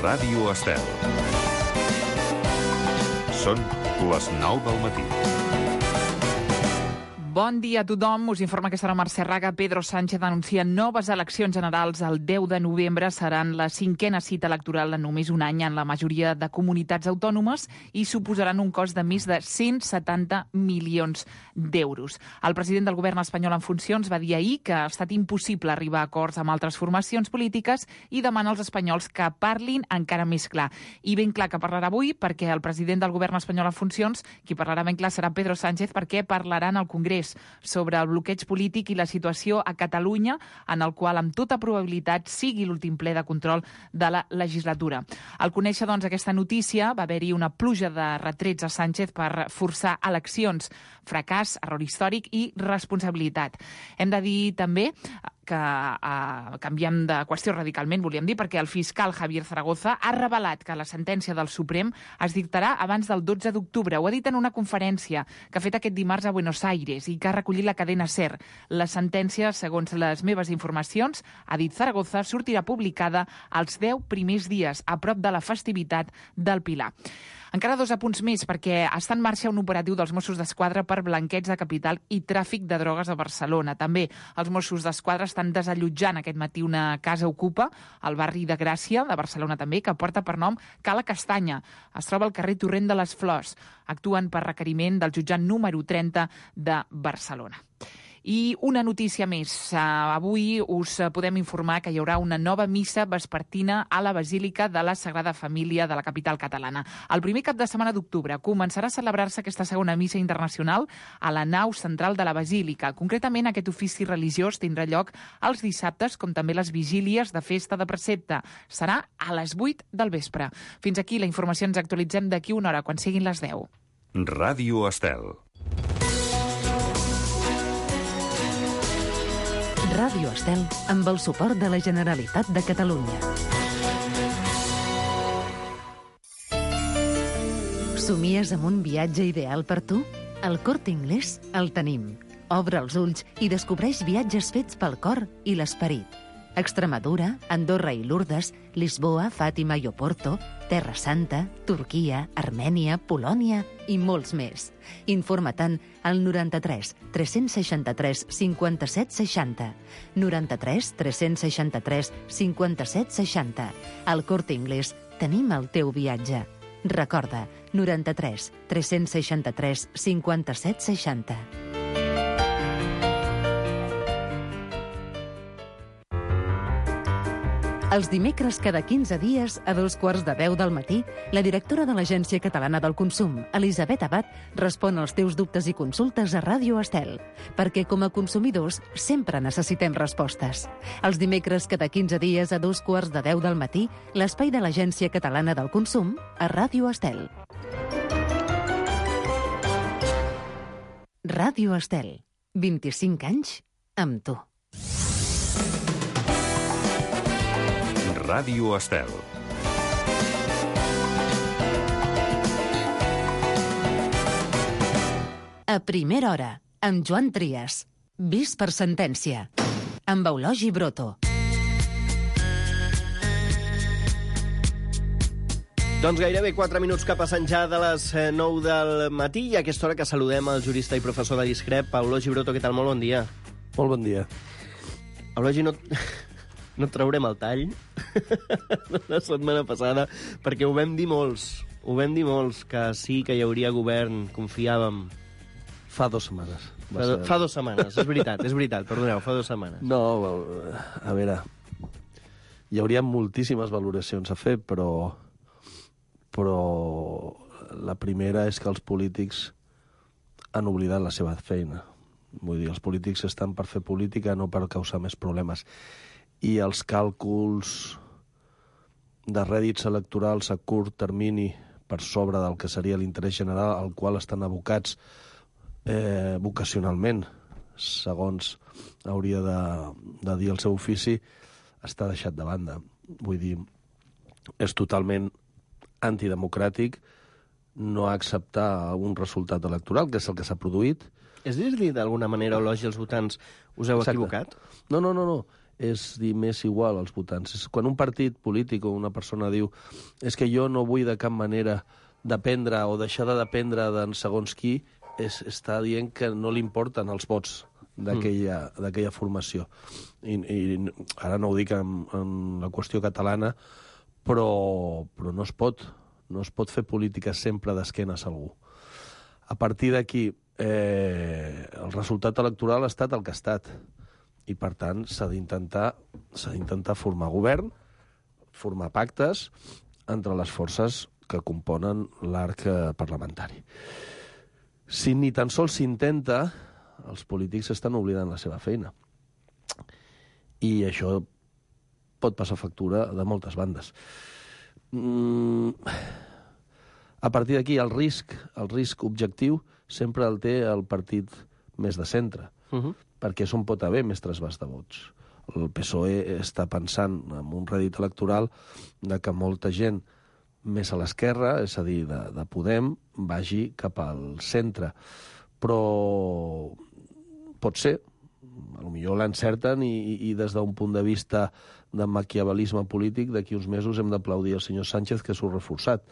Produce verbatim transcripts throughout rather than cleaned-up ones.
Ràdio Estel. Són les nou del matí. Bon dia a tothom. Us informa que serà Mercè Raga. Pedro Sánchez anuncia noves eleccions generals el deu de novembre. Seran la cinquena cita electoral en només un any en la majoria de comunitats autònomes i suposaran un cost de més de cent setanta milions d'euros. El president del govern espanyol en funcions va dir ahir que ha estat impossible arribar a acords amb altres formacions polítiques i demana als espanyols que parlin encara més clar. I ben clar que parlarà avui, perquè el president del govern espanyol en funcions, qui parlarà ben clar serà Pedro Sánchez, perquè parlaran al Congrés sobre el bloqueig polític i la situació a Catalunya, en el qual amb tota probabilitat sigui l'últim ple de control de la legislatura. Al conèixer doncs aquesta notícia va haver-hi una pluja de retrets a Sánchez per forçar eleccions, fracàs, error històric i responsabilitat. Hem de dir també que eh, canviem de qüestió radicalment, volíem dir, perquè el fiscal Javier Zaragoza ha revelat que la sentència del Suprem es dictarà abans del dotze d'octubre. Ho ha dit en una conferència que ha fet aquest dimarts a Buenos Aires i que ha recollit la cadena SER. La sentència, segons les meves informacions, ha dit Zaragoza, sortirà publicada els deu primers dies, a prop de la festivitat del Pilar. Encara dos apunts més, perquè està en marxa un operatiu dels Mossos d'Esquadra per blanqueig de capital i tràfic de drogues a Barcelona. També els Mossos d'Esquadra estan desallotjant aquest matí una casa ocupa al barri de Gràcia, de Barcelona també, que porta per nom Cala Castanya. Es troba al carrer Torrent de les Flors. Actuen per requeriment del jutjat número trenta de Barcelona. I una notícia més. Avui us podem informar que hi haurà una nova missa vespertina a la Basílica de la Sagrada Família de la capital catalana. El primer cap de setmana d'octubre començarà a celebrar-se aquesta segona missa internacional a la nau central de la Basílica. Concretament, aquest ofici religiós tindrà lloc els dissabtes, com també les vigílies de festa de precepte. Serà a les vuit del vespre. Fins aquí la informació. Ens actualitzem d'aquí una hora, quan siguin les deu. Ràdio Estel. Ràdio Estel, amb el suport de la Generalitat de Catalunya. Somies amb un viatge ideal per tu? Al Corte Inglés el tenim. Obre els ulls i descobreix viatges fets pel cor i l'esperit. Extremadura, Andorra i Lourdes, Lisboa, Fàtima i Oporto, Terra Santa, Turquia, Armènia, Polònia i molts més. Informa-te'n al noranta-tres tres-cents seixanta-tres cinquanta-set seixanta. noranta-tres tres-cents seixanta-tres cinquanta-set seixanta. Al Corte Inglés tenim el teu viatge. Recorda, noranta-tres tres-cents seixanta-tres cinquanta-set seixanta. Els dimecres cada quinze dies, a dos quarts de deu del matí, la directora de l'Agència Catalana del Consum, Elisabet Abad, respon als teus dubtes i consultes a Ràdio Estel, perquè com a consumidors sempre necessitem respostes. Els dimecres cada quinze dies, a dos quarts de deu del matí, l'espai de l'Agència Catalana del Consum a Ràdio Estel. Ràdio Estel. vint-i-cinc anys amb tu. Ràdio Estel. A primera hora, amb Joan Trias. Vist per sentència. Amb Eulogi Broto. Doncs gairebé quatre minuts que passen ja de les nou del matí i a aquesta hora que saludem el jurista i professor de l'ISCREP, Eulogi Broto. Què tal? Molt bon dia. Molt bon dia. Eulogi, no... No traurem el tall la setmana passada, perquè ho vam dir molts, ho vam dir molts, que sí que hi hauria govern, confiàvem. Fa dues setmanes. Fa, do, fa dues setmanes, és veritat, és veritat, perdoneu, fa dues setmanes. No, a veure, hi hauria moltíssimes valoracions a fer, però, però la primera és que els polítics han oblidat la seva feina. Vull dir, els polítics estan per fer política, no per causar més problemes. I els càlculs de rèdits electorals a curt termini per sobre del que seria l'interès general al qual estan abocats eh, vocacionalment, segons hauria de, de dir el seu ofici, està deixat de banda. Vull dir, és totalment antidemocràtic no acceptar un resultat electoral, que és el que s'ha produït. És dir-li d'alguna manera, Eulogi, als votants, us heu Exacte. equivocat? No, no, no, no. és dir més igual als votants. És quan un partit polític o una persona diu és que jo no vull de cap manera dependre o deixar de dependre d'en segons qui, és, està dient que no li importen els vots d'aquella mm. d'aquella formació. I, I ara no ho dic en, en la qüestió catalana, però, però no es pot. No es pot fer política sempre d'esquenes a algú. A partir d'aquí, eh, el resultat electoral ha estat el que ha estat. I, per tant, s'ha d'intentar s'ha d'intentar formar govern, formar pactes entre les forces que componen l'arc parlamentari. Si ni tan sols s'intenta, els polítics estan oblidant la seva feina. I això pot passar factura de moltes bandes. Mm, a partir d'aquí, el risc, el risc objectiu sempre el té el partit més de centre, uh-huh. perquè és on pot haver més trasbàs de vots. El P S O E està pensant en un rèdit electoral de que molta gent més a l'esquerra, és a dir, de, de Podem, vagi cap al centre. Però pot ser, potser l'encerten i, i, i des d'un punt de vista de maquiavelisme polític, d'aquí uns mesos hem d'aplaudir el senyor Sánchez, que s'ho ha reforçat.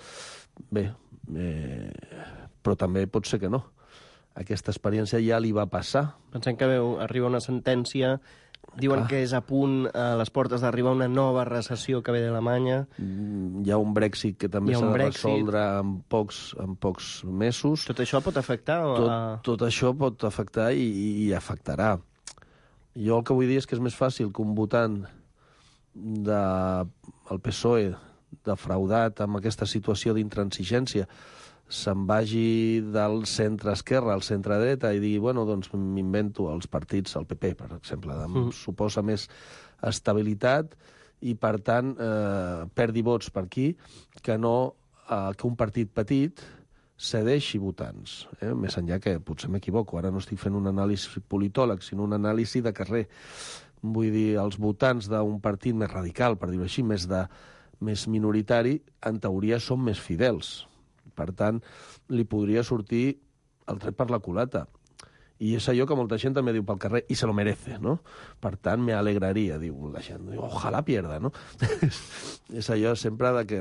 Bé, eh, però també pot ser que no. Aquesta experiència ja li va passar. Pensem que veu, arriba una sentència, diuen ah. que és a punt a les portes d'arribar una nova recessió que ve d'Alemanya. Mm, hi ha un Brexit que també s'ha de Brexit. resoldre en pocs, en pocs mesos. Tot això pot afectar? Tot, a... tot això pot afectar i, i afectarà. Jo el que vull dir és que és més fàcil que un votant del P S O E defraudat amb aquesta situació d'intransigència se'n vagi del centre-esquerra al centre-dreta i digui, bueno, doncs m'invento els partits, el P P, per exemple, em mm. suposa més estabilitat i, per tant, eh, perdi vots per aquí, que no eh, que un partit petit cedeixi votants. Eh? Més enllà que potser m'equivoco, ara no estic fent un anàlisi politòleg, sinó un anàlisi de carrer. Vull dir, els votants d'un partit més radical, per dir-ho així, més, de, més minoritari, en teoria són més fidels. Per tant, li podria sortir el tret per la culata. I és allò que molta gent també diu pel carrer, i se lo merece, no? Per tant, me alegraria, diu la gent. Diu, ojalà pierda, no? És allò sempre de que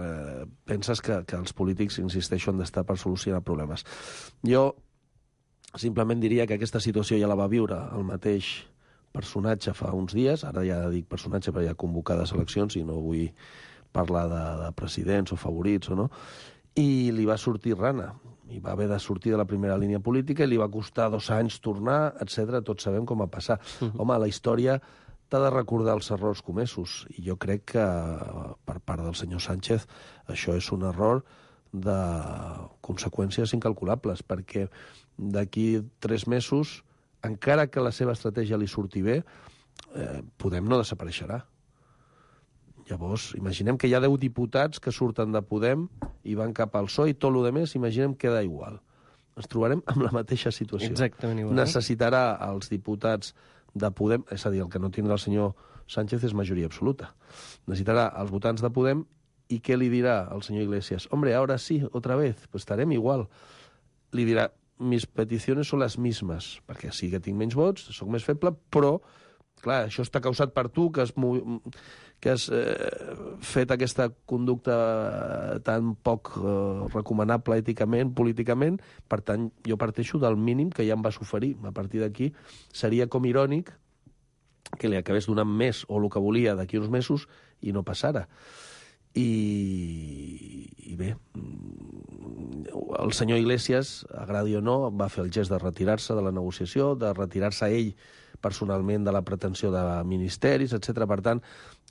penses que, que els polítics, insisteixo, han d'estar per solucionar problemes. Jo simplement diria que aquesta situació ja la va viure el mateix personatge fa uns dies, ara ja dic personatge perquè hi ha convocades eleccions i no vull parlar de, de presidents o favorits o no, i li va sortir rana, i va haver de sortir de la primera línia política i li va costar dos anys tornar, etcètera. Tots sabem com va passar. Uh-huh. Home, la història t'ha de recordar els errors comesos, i jo crec que per part del senyor Sánchez això és un error de conseqüències incalculables, perquè d'aquí tres mesos, encara que la seva estratègia li surti bé, eh, Podem no desapareixerà. Llavors, imaginem que hi ha deu diputats que surten de Podem i van cap al P S O E i tot el més, imaginem, queda igual. Ens trobarem amb la mateixa situació. Exactament igual. Necessitarà els diputats de Podem, és a dir, el que no tindrà el senyor Sánchez és majoria absoluta. Necessitarà els votants de Podem i què li dirà el senyor Iglesias? Hombre, ahora sí, otra vez, pues estarem igual. Li dirà, mis peticiones son las mismas, perquè sí que tinc menys vots, sóc més feble, però clar, això està causat per tu, que has, que has eh, fet aquesta conducta tan poc eh, recomanable èticament, políticament. Per tant, jo parteixo del mínim que ja em vas oferir. A partir d'aquí seria com irònic que li acabés donant més o el que volia d'aquí uns mesos i no passara. I, i bé, el senyor Iglesias, agradi o no, va fer el gest de retirar-se de la negociació, de retirar-se ell personalment de la pretensió de ministeris, etcètera. Per tant,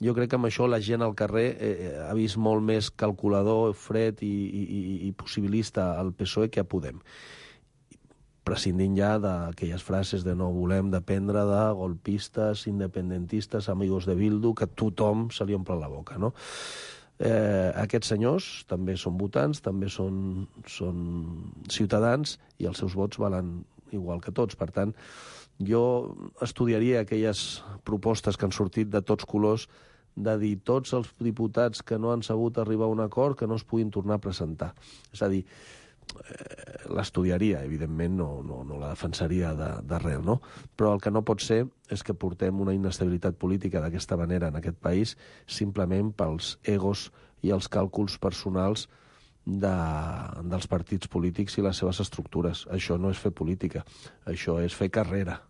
jo crec que amb això la gent al carrer eh, ha vist molt més calculador, fred i, i, i possibilista al P S O E que a Podem. Prescindint ja d'aquelles frases de no volem dependre de golpistes, independentistes, amigos de Bildu, que tothom se li omple la boca, no? Eh, aquests senyors també són votants, també són, són ciutadans i els seus vots valen igual que tots. Per tant, jo estudiaria aquelles propostes que han sortit de tots colors de dir tots els diputats que no han sabut arribar a un acord que no es puguin tornar a presentar. És a dir, eh, l'estudiaria, evidentment no, no, no la defensaria d'arrel, no? Però el que no pot ser és que portem una inestabilitat política d'aquesta manera en aquest país simplement pels egos i els càlculs personals de, dels partits polítics i les seves estructures. Això no és fer política, això és fer carrera.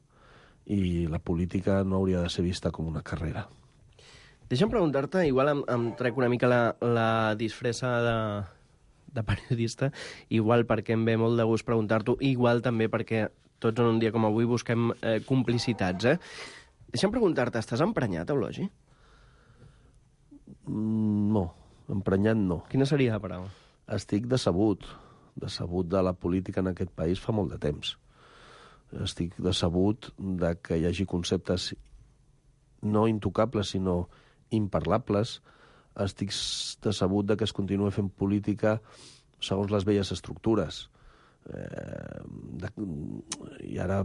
I la política no hauria de ser vista com una carrera. Deixa'm preguntar-te, igual em, em trec una mica la, la disfressa de, de periodista, igual perquè em ve molt de gust preguntar-t'ho, igual també perquè tots en un dia com avui busquem eh, complicitats, eh? Deixa'm preguntar-te, estàs emprenyat, Eulogi? Mm, no, emprenyat no. Quina seria la paraula? Estic decebut, decebut de la política en aquest país fa molt de temps. Estic decebut de que hi hagi conceptes no intocables, sinó imparlables. Estic decebut de que es continuï fent política segons les velles estructures. Eh, de, I ara,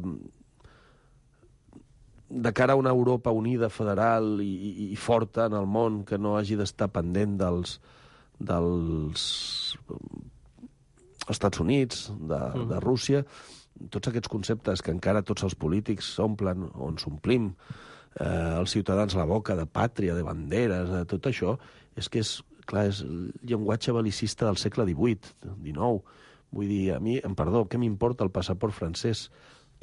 de cara a una Europa unida, federal i, i, i forta en el món, que no hagi d'estar pendent dels, dels Estats Units, de, mm. de Rússia, tots aquests conceptes que encara tots els polítics s'omplen, o ens omplim, eh, els ciutadans la boca de pàtria, de banderes, de tot això, és que és, clar, és el llenguatge belicista del segle divuit, dinou. Vull dir, a mi, em perdó, què m'importa el passaport francès,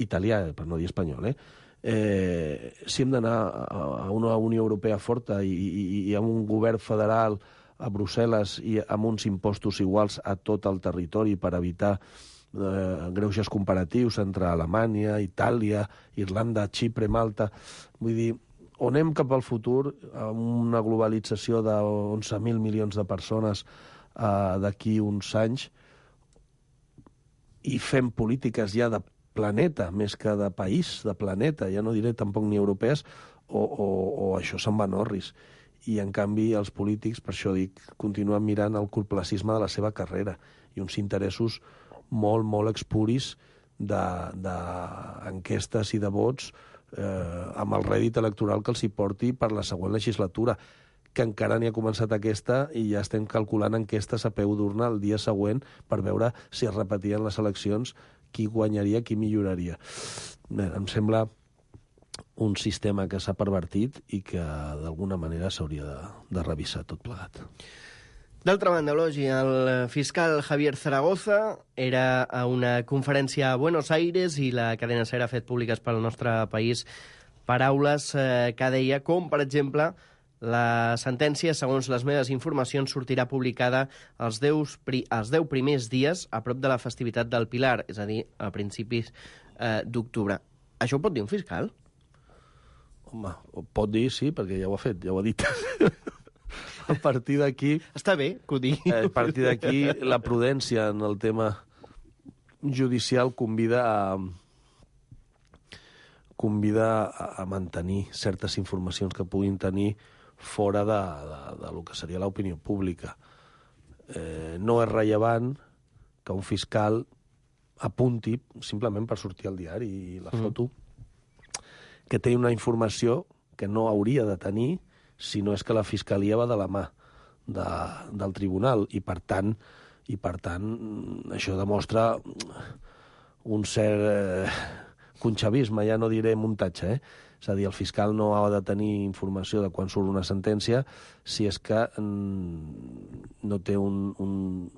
italià, per no dir espanyol, eh? eh si hem d'anar a una Unió Europea forta i, i, i a un govern federal a Brussel·les i amb uns impostos iguals a tot el territori per evitar eh, greuges comparatius entre Alemanya, Itàlia, Irlanda, Xipre, Malta. Vull dir, on anem cap al futur, amb una globalització d'onze mil milions de persones eh, d'aquí uns anys, i fem polítiques ja de planeta, més que de país, de planeta, ja no diré tampoc ni europees, o, o, o això se'n va en orris. I, en canvi, els polítics, per això dic, continuen mirant el corplacisme de la seva carrera i uns interessos molt, molt expuris d'enquestes i de vots eh, amb el rèdit electoral que els hi porti per la següent legislatura, que encara ni ha començat aquesta i ja estem calculant enquestes a peu d'urna el dia següent per veure si es repetien les eleccions, qui guanyaria, qui milloraria. Bé, em sembla un sistema que s'ha pervertit i que d'alguna manera s'hauria de, de revisar tot plegat. D'altra banda, Eulogi, el fiscal Javier Zaragoza era a una conferència a Buenos Aires i la cadena SER ha fet públiques pel nostre país paraules eh, que deia com, per exemple, la sentència, segons les meves informacions, sortirà publicada els deu, els deu primers dies a prop de la festivitat del Pilar, és a dir, a principis eh, d'octubre. Això ho pot dir un fiscal? Home, ho pot dir, sí, perquè ja ho ha fet, ja ho ha dit. A partir d'aquí... Està bé que ho digui. A partir d'aquí, la prudència en el tema judicial convida a convida a mantenir certes informacions que puguin tenir fora de, de, de lo que seria l'opinió pública. Eh, no és rellevant que un fiscal apunti, simplement per sortir al diari i la foto, mm. que té una informació que no hauria de tenir si no és que la fiscalia va de la mà de, del tribunal, i per tant, i per tant això demostra un cert eh, conxavisme, ja no diré muntatge, eh? És a dir, el fiscal no ha de tenir informació de quan surt una sentència si és que mm, no té un, un,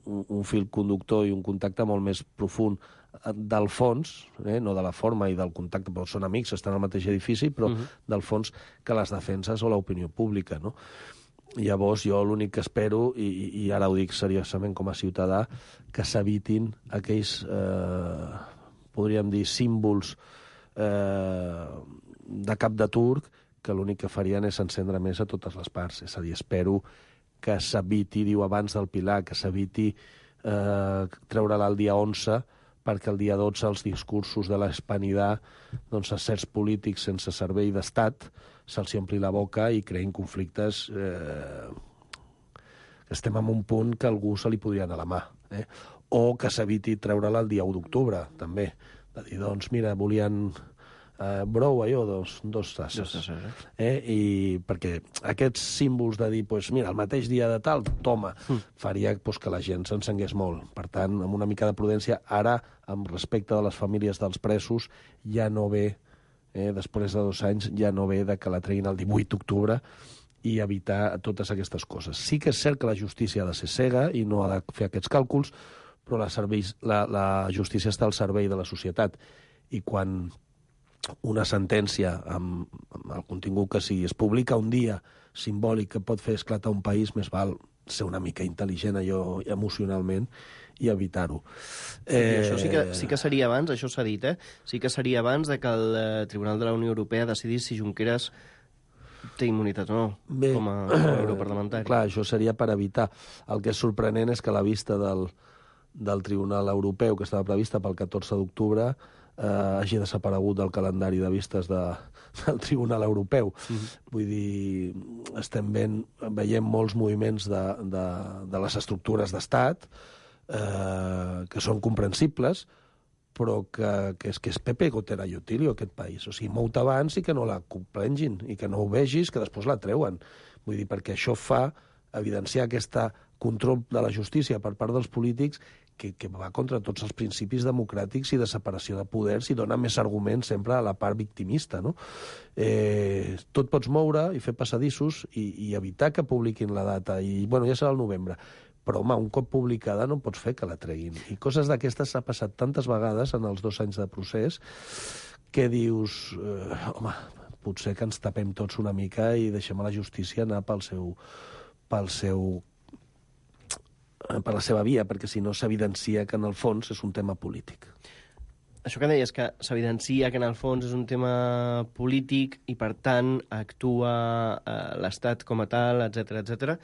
un fil conductor i un contacte molt més profund del fons, eh? No de la forma i del contacte, però són amics, estan al mateix edifici, però uh-huh. del fons que les defenses o l'opinió pública, no? Llavors, jo l'únic que espero, i, i ara ho dic seriosament com a ciutadà, que s'evitin aquells, eh, podríem dir, símbols eh, de cap de turc, que l'únic que farien és encendre més a totes les parts. És a dir, espero que s'eviti, diu abans del Pilar, que s'eviti eh, treure-la el dia onze, perquè el dia dotze els discursos de l'Hispanidad, doncs a certs polítics sense servei d'estat se'ls ompli la boca i creïn conflictes eh, que estem en un punt que algú se li podria anar a la mà. Eh? O que s'eviti treure-la el dia u d'octubre, també. De dir, doncs, mira, volien Uh, brou, allò, dos, dos tasses. Dos tasses, eh? eh? I perquè aquests símbols de dir, pues, mira, el mateix dia de tal, toma, mm. faria pues, que la gent s'encengués molt. Per tant, amb una mica de prudència, ara, amb respecte de les famílies dels presos, ja no ve, eh, després de dos anys, ja no ve de que la treguin el divuit d'octubre i evitar totes aquestes coses. Sí que és cert que la justícia ha de ser cega i no ha de fer aquests càlculs, però la, serveis, la, la justícia està al servei de la societat. I quan una sentència amb, amb el contingut que sigui es publica un dia simbòlic que pot fer esclatar un país, més val ser una mica intel·ligent allò emocionalment i evitar-ho. Eh... I això sí que, sí que seria abans, això s'ha dit, eh? Sí que seria abans de que el eh, Tribunal de la Unió Europea decidís si Junqueras té immunitat o no, Bé, com a, com a europarlamentari. Clar, això seria per evitar. El que és sorprenent és que la vista del, del Tribunal Europeu, que estava prevista pel catorze d'octubre, eh, hagi desaparegut del calendari de vistes de, del Tribunal Europeu. Mm-hmm. Vull dir, estem ben, veient molts moviments de, de, de les estructures d'estat eh, que són comprensibles, però que, que, és, que és Pepe Gotera i Otilio, aquest país. O sigui, mou-te abans i que no la comprengin, i que no ho vegis, que després la treuen. Vull dir, perquè això fa evidenciar aquest control de la justícia per part dels polítics que, que va contra tots els principis democràtics i de separació de poders i dona més arguments sempre a la part victimista, no? Eh, tot pots moure i fer passadissos i, i evitar que publiquin la data. I, bueno, ja serà el novembre. Però, home, un cop publicada no pots fer que la treguin. I coses d'aquestes s'ha passat tantes vegades en els dos anys de procés que dius, eh, home, potser que ens tapem tots una mica i deixem a la justícia anar pel seu, pel seu, per la seva via, perquè si no s'evidencia que en el fons és un tema polític. Això que deies, que s'evidencia que en el fons és un tema polític i, per tant, actua eh, l'Estat com a tal, etcètera, etcètera.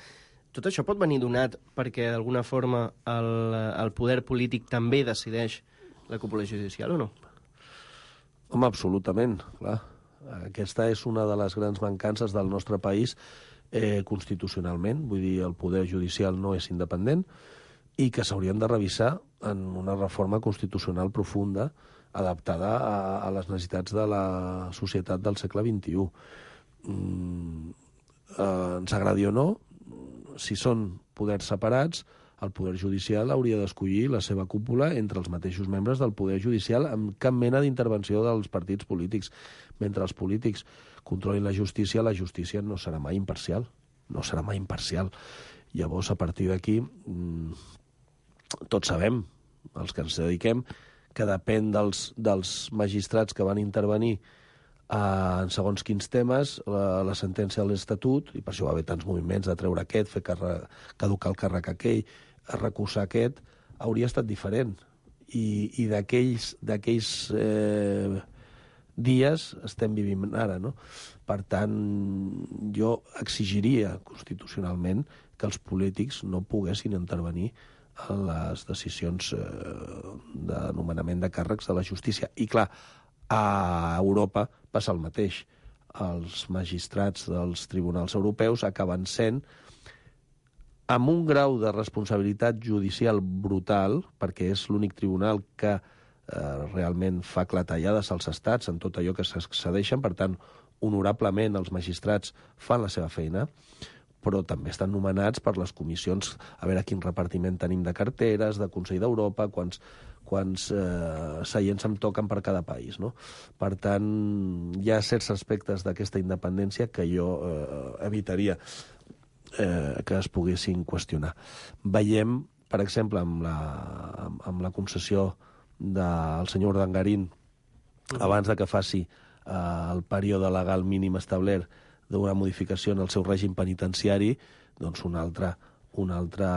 Tot això pot venir donat perquè, d'alguna forma, el, el poder polític també decideix la cúpula judicial o no? Home, absolutament, clar. Aquesta és una de les grans mancances del nostre país eh, constitucionalment. Vull dir, el poder judicial no és independent i que s'haurien de revisar en una reforma constitucional profunda adaptada a, a les necessitats de la societat del segle vint-i-u. Mm, eh, ens agradi o no, si són poders separats, el poder judicial hauria d'escollir la seva cúpula entre els mateixos membres del poder judicial amb cap mena d'intervenció dels partits polítics. Mentre els polítics controlin la justícia, la justícia no serà mai imparcial. No serà mai imparcial. Llavors, a partir d'aquí, tots sabem, els que ens dediquem, que depèn dels, dels magistrats que van intervenir en segons quins temes, la, la sentència de l'Estatut, i per això va haver tants moviments de treure aquest, fer carre, caducar el càrrec aquell, recusar aquest, hauria estat diferent. I, i d'aquells d'aquells eh, dies estem vivint ara, no? Per tant, jo exigiria constitucionalment que els polítics no poguessin intervenir en les decisions eh, de nomenament de càrrecs de la justícia. I clar, a Europa passa el mateix. Els magistrats dels tribunals europeus acaben sent, amb un grau de responsabilitat judicial brutal, perquè és l'únic tribunal que eh, realment fa clatellades als estats en tot allò que s'excedeixen, per tant, honorablement els magistrats fan la seva feina, però també estan nomenats per les comissions, a veure quin repartiment tenim de carteres, de Consell d'Europa, quants, quants eh, seients em toquen per cada país, no? Per tant, hi ha certs aspectes d'aquesta independència que jo eh, evitaria eh, que es poguessin qüestionar. Veiem, per exemple, amb la, amb, amb la concessió del senyor Urdangarín, uh-huh. abans de que faci eh, el període legal mínim establert d'una modificació en el seu règim penitenciari, doncs un altre, un altre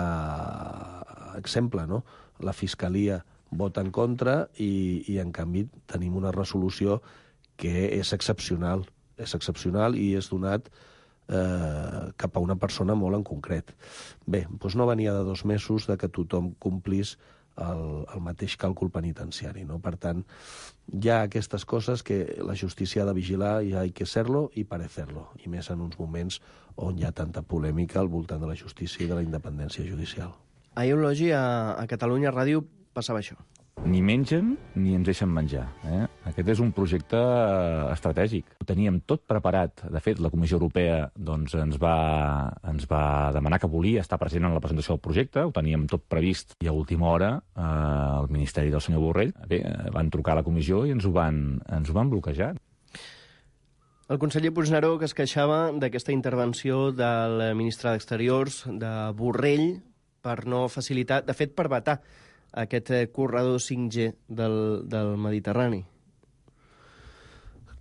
exemple, no? La Fiscalia vota en contra i, i en canvi tenim una resolució que és excepcional, és excepcional i és donat eh, cap a una persona molt en concret. Bé, doncs no venia de dos mesos de que tothom complís el, el mateix càlcul penitenciari, no? Per tant, hi ha aquestes coses que la justícia ha de vigilar i ha que ser-lo i parecer-lo, i més en uns moments on hi ha tanta polèmica al voltant de la justícia i de la independència judicial. Ahir, Eulogi, a, a Catalunya Ràdio passava això. Ni mengen ni ens deixen menjar. Eh? Aquest és un projecte estratègic. Ho teníem tot preparat. De fet, la Comissió Europea doncs, ens, va, ens va demanar que volia estar present en la presentació del projecte. Ho teníem tot previst i a última hora eh, el Ministeri del senyor Borrell bé, van trucar a la comissió i ens ho van, ens ho van bloquejar. El conseller Puigneró, que es queixava d'aquesta intervenció del ministre d'Exteriors, de Borrell, per no facilitar, de fet, per vetar aquest corredor cinc G del, del Mediterrani.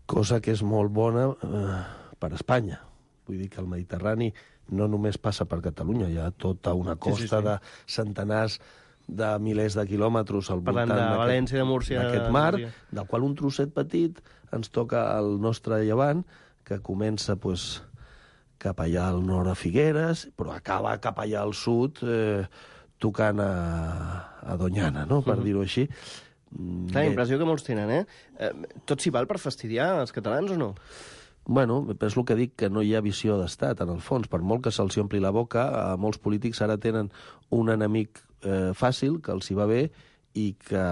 Cosa que és molt bona eh, per Espanya. Vull dir que el Mediterrani no només passa per Catalunya, hi ha tota una costa sí, sí, sí. de centenars de milers de quilòmetres al Parlant voltant de València, de Múrcia, d'aquest mar, del qual un trosset petit ens toca al nostre llevant, que comença pues, cap allà al nord a Figueres, però acaba cap allà al sud, eh, tocant a, a Doñana, no? per uh-huh. dir-ho així. La impressió que molts tenen, eh? eh tot s'hi val per fastidiar els catalans o no? Bueno, és el que dic, que no hi ha visió d'estat, en el fons. Per molt que se'ls ompli la boca, eh, molts polítics ara tenen un enemic eh, fàcil, que els hi va bé, i que,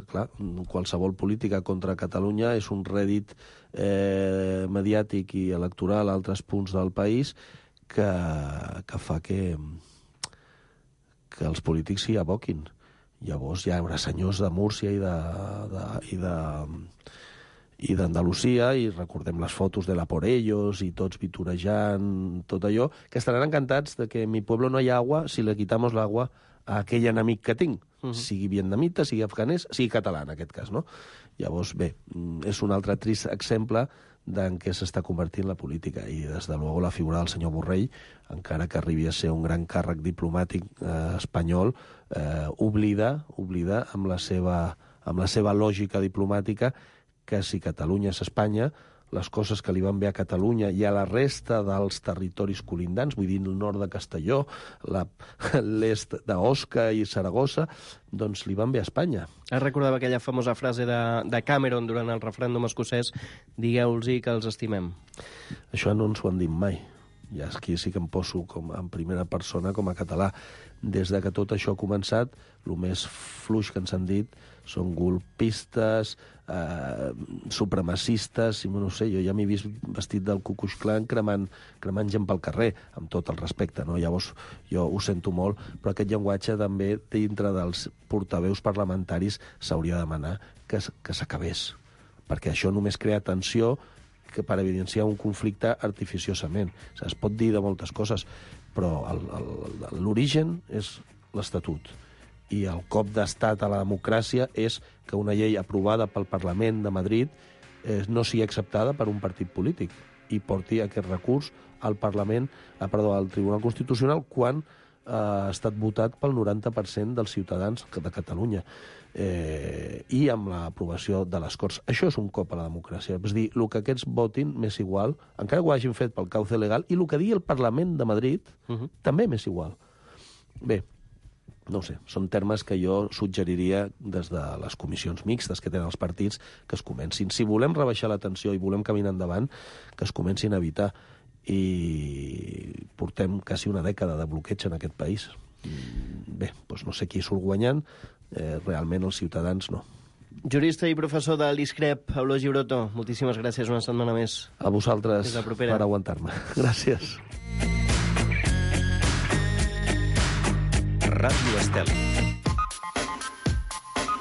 clar, qualsevol política contra Catalunya és un rèdit eh, mediàtic i electoral a altres punts del país que, que fa que... que els polítics s'hi aboquin. Llavors hi haurà senyors de Múrcia i de, de, i de, i d'Andalusia, i recordem les fotos de la Por Ellos, i tots vitorejant, tot allò, que estaran encantats de que en mi pueblo no hi ha agua si le quitamos l'agua a aquell enemic que tinc, uh-huh. sigui vietnamita, sigui afganès, sigui català, en aquest cas, no? Llavors, bé, és un altre trist exemple d'en què s'està convertint la política, i des de luego la figura del senyor Borrell, encara que arribi a ser un gran càrrec diplomàtic eh, espanyol, eh, oblida, oblida amb la seva, amb la seva lògica diplomàtica que si Catalunya és Espanya, les coses que li van bé a Catalunya i a la resta dels territoris colindants, vull dir el nord de Castelló, la, l'est d'Osca i Saragossa, doncs li van bé a Espanya. Es recordava aquella famosa frase de, de Cameron durant el referèndum escocès: digueu-los que els estimem. Això no ens ho han dit mai. Ja aquí sí que em poso com en primera persona com a català. Des de que tot això ha començat, el més fluix que ens han dit són golpistes, eh, supremacistes, i no sé, jo ja m'he vist vestit del Ku Klux Klan cremant, cremant gent pel carrer, amb tot el respecte, no? Llavors jo ho sento molt, però aquest llenguatge també dintre dels portaveus parlamentaris s'hauria de demanar que, que s'acabés, perquè això només crea tensió que per evidenciar un conflicte artificiosament. O sigui, es pot dir de moltes coses, però el, el, l'origen és l'Estatut. I el cop d'estat a la democràcia és que una llei aprovada pel Parlament de Madrid eh, no sigui acceptada per un partit polític i porti aquest recurs al Parlament, ah, perdó, al Tribunal Constitucional quan eh, ha estat votat pel noranta per cent dels ciutadans de Catalunya. Eh, i amb l'aprovació de les Corts. Això és un cop a la democràcia. És dir, el que aquests votin m'és igual, encara que ho hagin fet pel cauce legal, i el que digui el Parlament de Madrid uh-huh. també m'és igual. Bé, no ho sé, són termes que jo suggeriria des de les comissions mixtes que tenen els partits que es comencin. Si volem rebaixar la tensió i volem caminar endavant, que es comencin a evitar. I portem quasi una dècada de bloqueig en aquest país. Bé, doncs no sé qui surt guanyant, eh, realment els ciutadans no. Jurista i professor de l'ISCREP, Eulogi Broto, moltíssimes gràcies una setmana més. A vosaltres per aguantar-me. Gràcies. Ràdio Estel.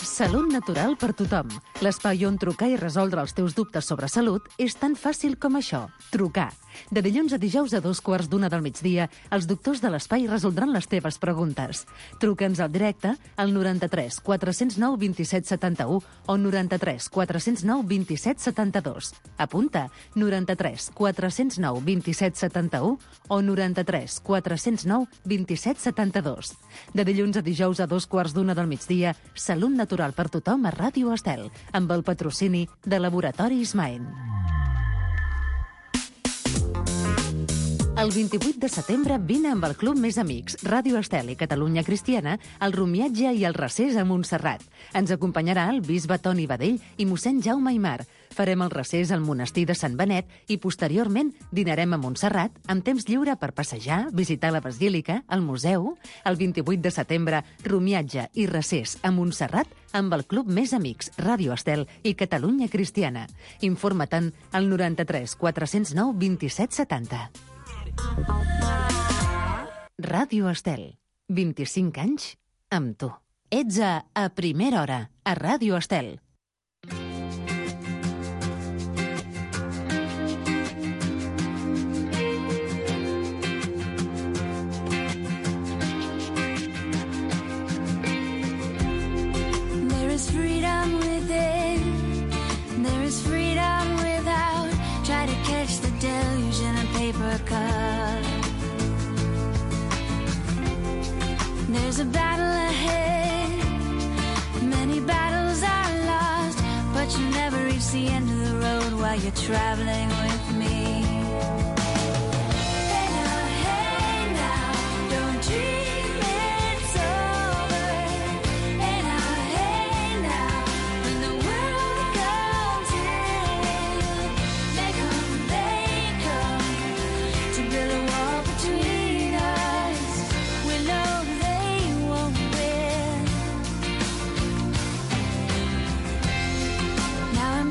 Salut natural per tothom. L'espai on trucar i resoldre els teus dubtes sobre salut és tan fàcil com això. Trucar. De dilluns a dijous a dos quarts d'una del migdia, els doctors de l'espai resoldran les teves preguntes. Truca'ns al directe al noranta-tres quatre cents nou vint-i-set setanta-u o noranta-tres quatre cents nou vint-i-set setanta-dos. Apunta, noranta-tres quatre cents nou vint-i-set setanta-u o noranta-tres quatre cents nou vint-i-set setanta-dos. De dilluns a dijous a dos quarts d'una del migdia, Salut natural per tothom a Ràdio Estel, amb el patrocini de Laboratoris Maen. El vint-i-vuit de setembre vine amb el Club Més Amics, Ràdio Estel i Catalunya Cristiana al rumiatge i al recés a Montserrat. Ens acompanyarà el bisbe Toni Badell i mossèn Jaume Aimar. Farem el recés al monestir de Sant Benet i posteriorment dinarem a Montserrat amb temps lliure per passejar, visitar la basílica, el museu. El vint-i-vuit de setembre, romiatge i recés a Montserrat amb el Club Més Amics, Ràdio Estel i Catalunya Cristiana. Informa-te'n al noranta-tres quatre-cents nou vint-i-set setanta. Ràdio Estel. vint-i-cinc anys amb tu. Ets a A Primera Hora, a Ràdio Estel. There is freedom within, there is freedom without. Try to catch the deluge in a paper cup. There's a battle ahead, many battles are lost, but you never reach the end of the road while you're traveling with me. Hey now, hey now, don't dream it's over. Hey now, hey now, when the world comes in, they come, they come to build a wall between us. We know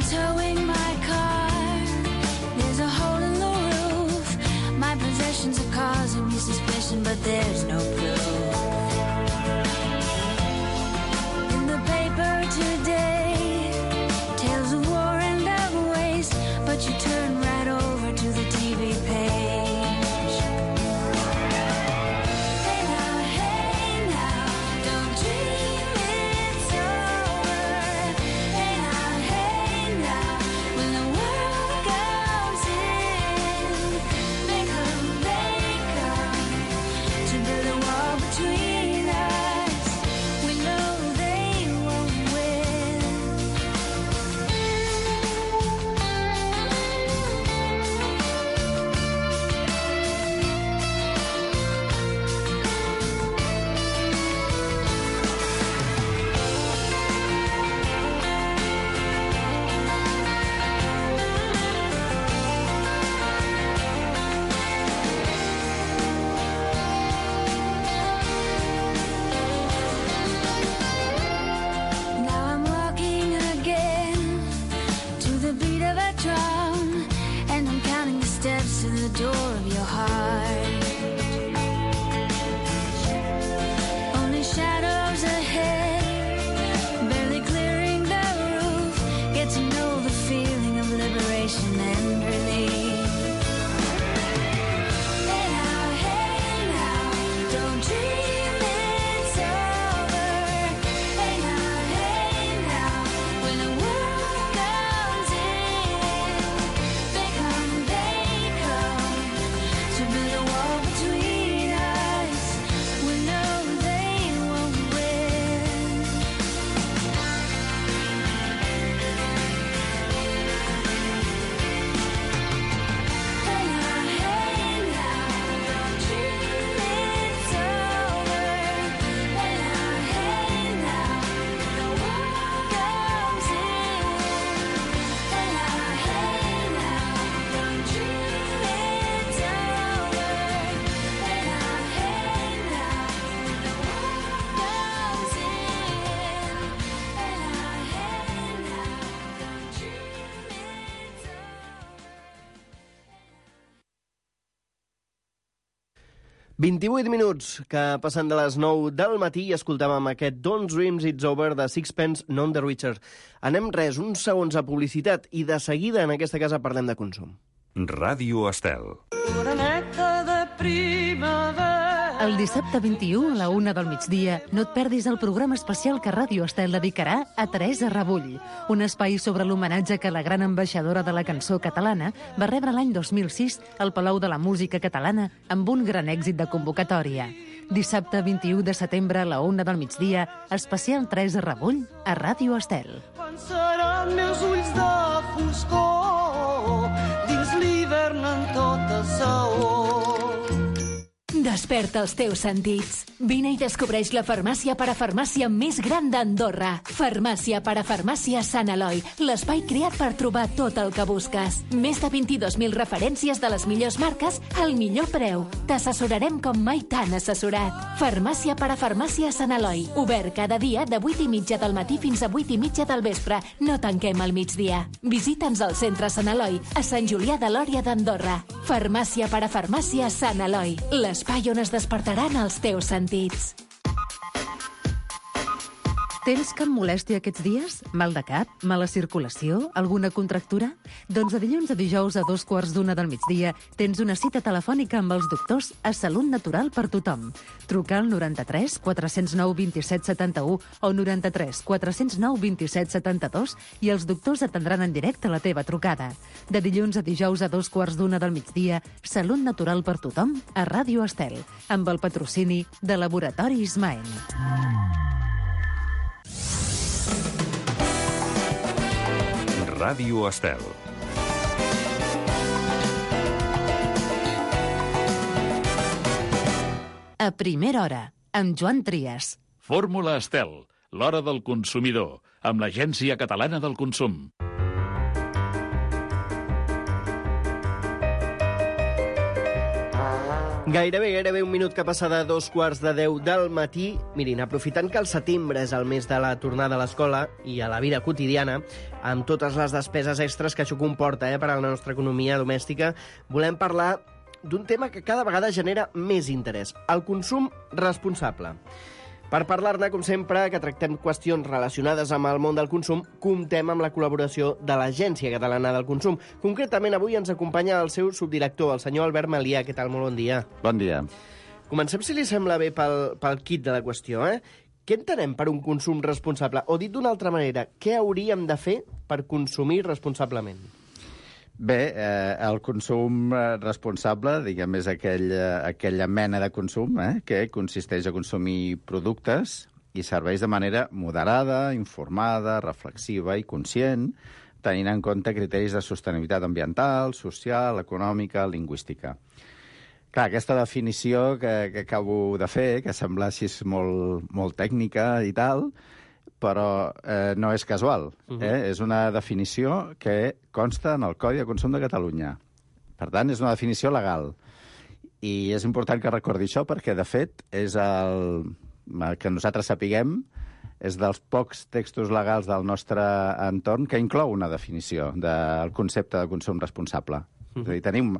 towing my car, there's a hole in the roof. My possessions are causing me suspicion, but there's no proof. In the paper today, tales of war and of waste, but you turn right over to the T V page. Hey now, hey now, don't dream it's over. Hey now, hey now, when the world comes in, they come, they come to build a wall between us. We know they won't win. Now I'm walking again to the beat of a drum, and I'm counting the steps to the door of your heart. Only shadows ahead, barely clearing the roof. Get to know the feeling of liberation and relief. Hey now, hey now, don't dream it's over. Hey now, hey now, when the world comes in, they come, they come to build a wall between us. We know they won't win. Hey now, hey now, don't dream it's over. Hey now, hey now, the world comes in. Hey now, hey now, don't dream it's over. Hey now, hey now, the world comes in. Hey now, hey now, don't dream it's over. vint-i-vuit minuts que passen de les nou del matí i escoltàvem aquest Don't Dreams It's Over de Sixpence None the Richer. Anem res, uns segons a publicitat i de seguida en aquesta casa parlem de consum. Ràdio Estel. El dissabte vint-i-u a la una del migdia no et perdis el programa especial que Ràdio Estel dedicarà a Teresa Rebull, un espai sobre l'homenatge que la gran ambaixadora de la cançó catalana va rebre l'any dos mil sis al Palau de la Música Catalana amb un gran èxit de convocatòria. Dissabte vint-i-u de setembre a la una del migdia, especial Teresa Rebull a Ràdio Estel. Quan seran meus ulls de foscor, dins l'hivern en tota saó. Desperta els teus sentits. Vine i descobreix la farmàcia parafarmàcia més gran d'Andorra. Farmàcia parafarmàcia Sant Eloi, l'espai creat per trobar tot el que busques. Més de vint-i-dos mil referències de les millors marques al millor preu. T'assessorarem com mai t'han assessorat. Farmàcia parafarmàcia Sant Eloi, obert cada dia de vuit i mitja del matí fins a vuit i mitja del vespre. No tanquem al migdia. Visita'ns al centre Sant Eloi, a Sant Julià de Lòria d'Andorra. Farmàcia parafarmàcia Sant Eloi, l'espai on es despertaran els teus sentits. Tens cap molèstia aquests dies? Mal de cap? Mala circulació? Alguna contractura? Doncs de dilluns a dijous a dos quarts d'una del migdia tens una cita telefònica amb els doctors a Salut Natural per tothom. Truca al noranta-tres quatre zero nou dos set set u o noranta-tres quatre zero nou dos set set dos i els doctors atendran en directe la teva trucada. De dilluns a dijous a dos quarts d'una del migdia, Salut Natural per tothom a Ràdio Estel, amb el patrocini de Laboratoris Maen. Ràdio Estel. A primera hora, amb Joan Trias. Fórmula Estel, l'hora del consumidor, amb l'Agència Catalana del Consum. Gairebé, gairebé un minut que passa de dos quarts de deu del matí. Mirin, aprofitant que el setembre és el mes de la tornada a l'escola i a la vida quotidiana, amb totes les despeses extres que això comporta eh, per a la nostra economia domèstica, volem parlar d'un tema que cada vegada genera més interès, el consum responsable. Per parlar-ne, com sempre, que tractem qüestions relacionades amb el món del consum, comptem amb la col·laboració de l'Agència Catalana del Consum. Concretament, avui ens acompanya el seu subdirector, el senyor Albert Malià. Què tal? Molt bon dia. Bon dia. Comencem, si li sembla bé, pel, pel kit de la qüestió. Eh? Què entenem per un consum responsable? O dit d'una altra manera, què hauríem de fer per consumir responsablement? Bé, eh, el consum responsable, diguem, és aquell, eh, aquella mena de consum eh, que consisteix a consumir productes i serveis de manera moderada, informada, reflexiva i conscient, tenint en compte criteris de sostenibilitat ambiental, social, econòmica, lingüística. Clar, aquesta definició que, que acabo de fer, que sembla així molt, molt tècnica i tal, però eh, no és casual. Eh? Uh-huh. És una definició que consta en el Codi de Consum de Catalunya. Per tant, és una definició legal. I és important que recordi això perquè, de fet, és el que nosaltres sapiguem, és dels pocs textos legals del nostre entorn que inclou una definició del concepte de consum responsable. Uh-huh. És a dir, tenim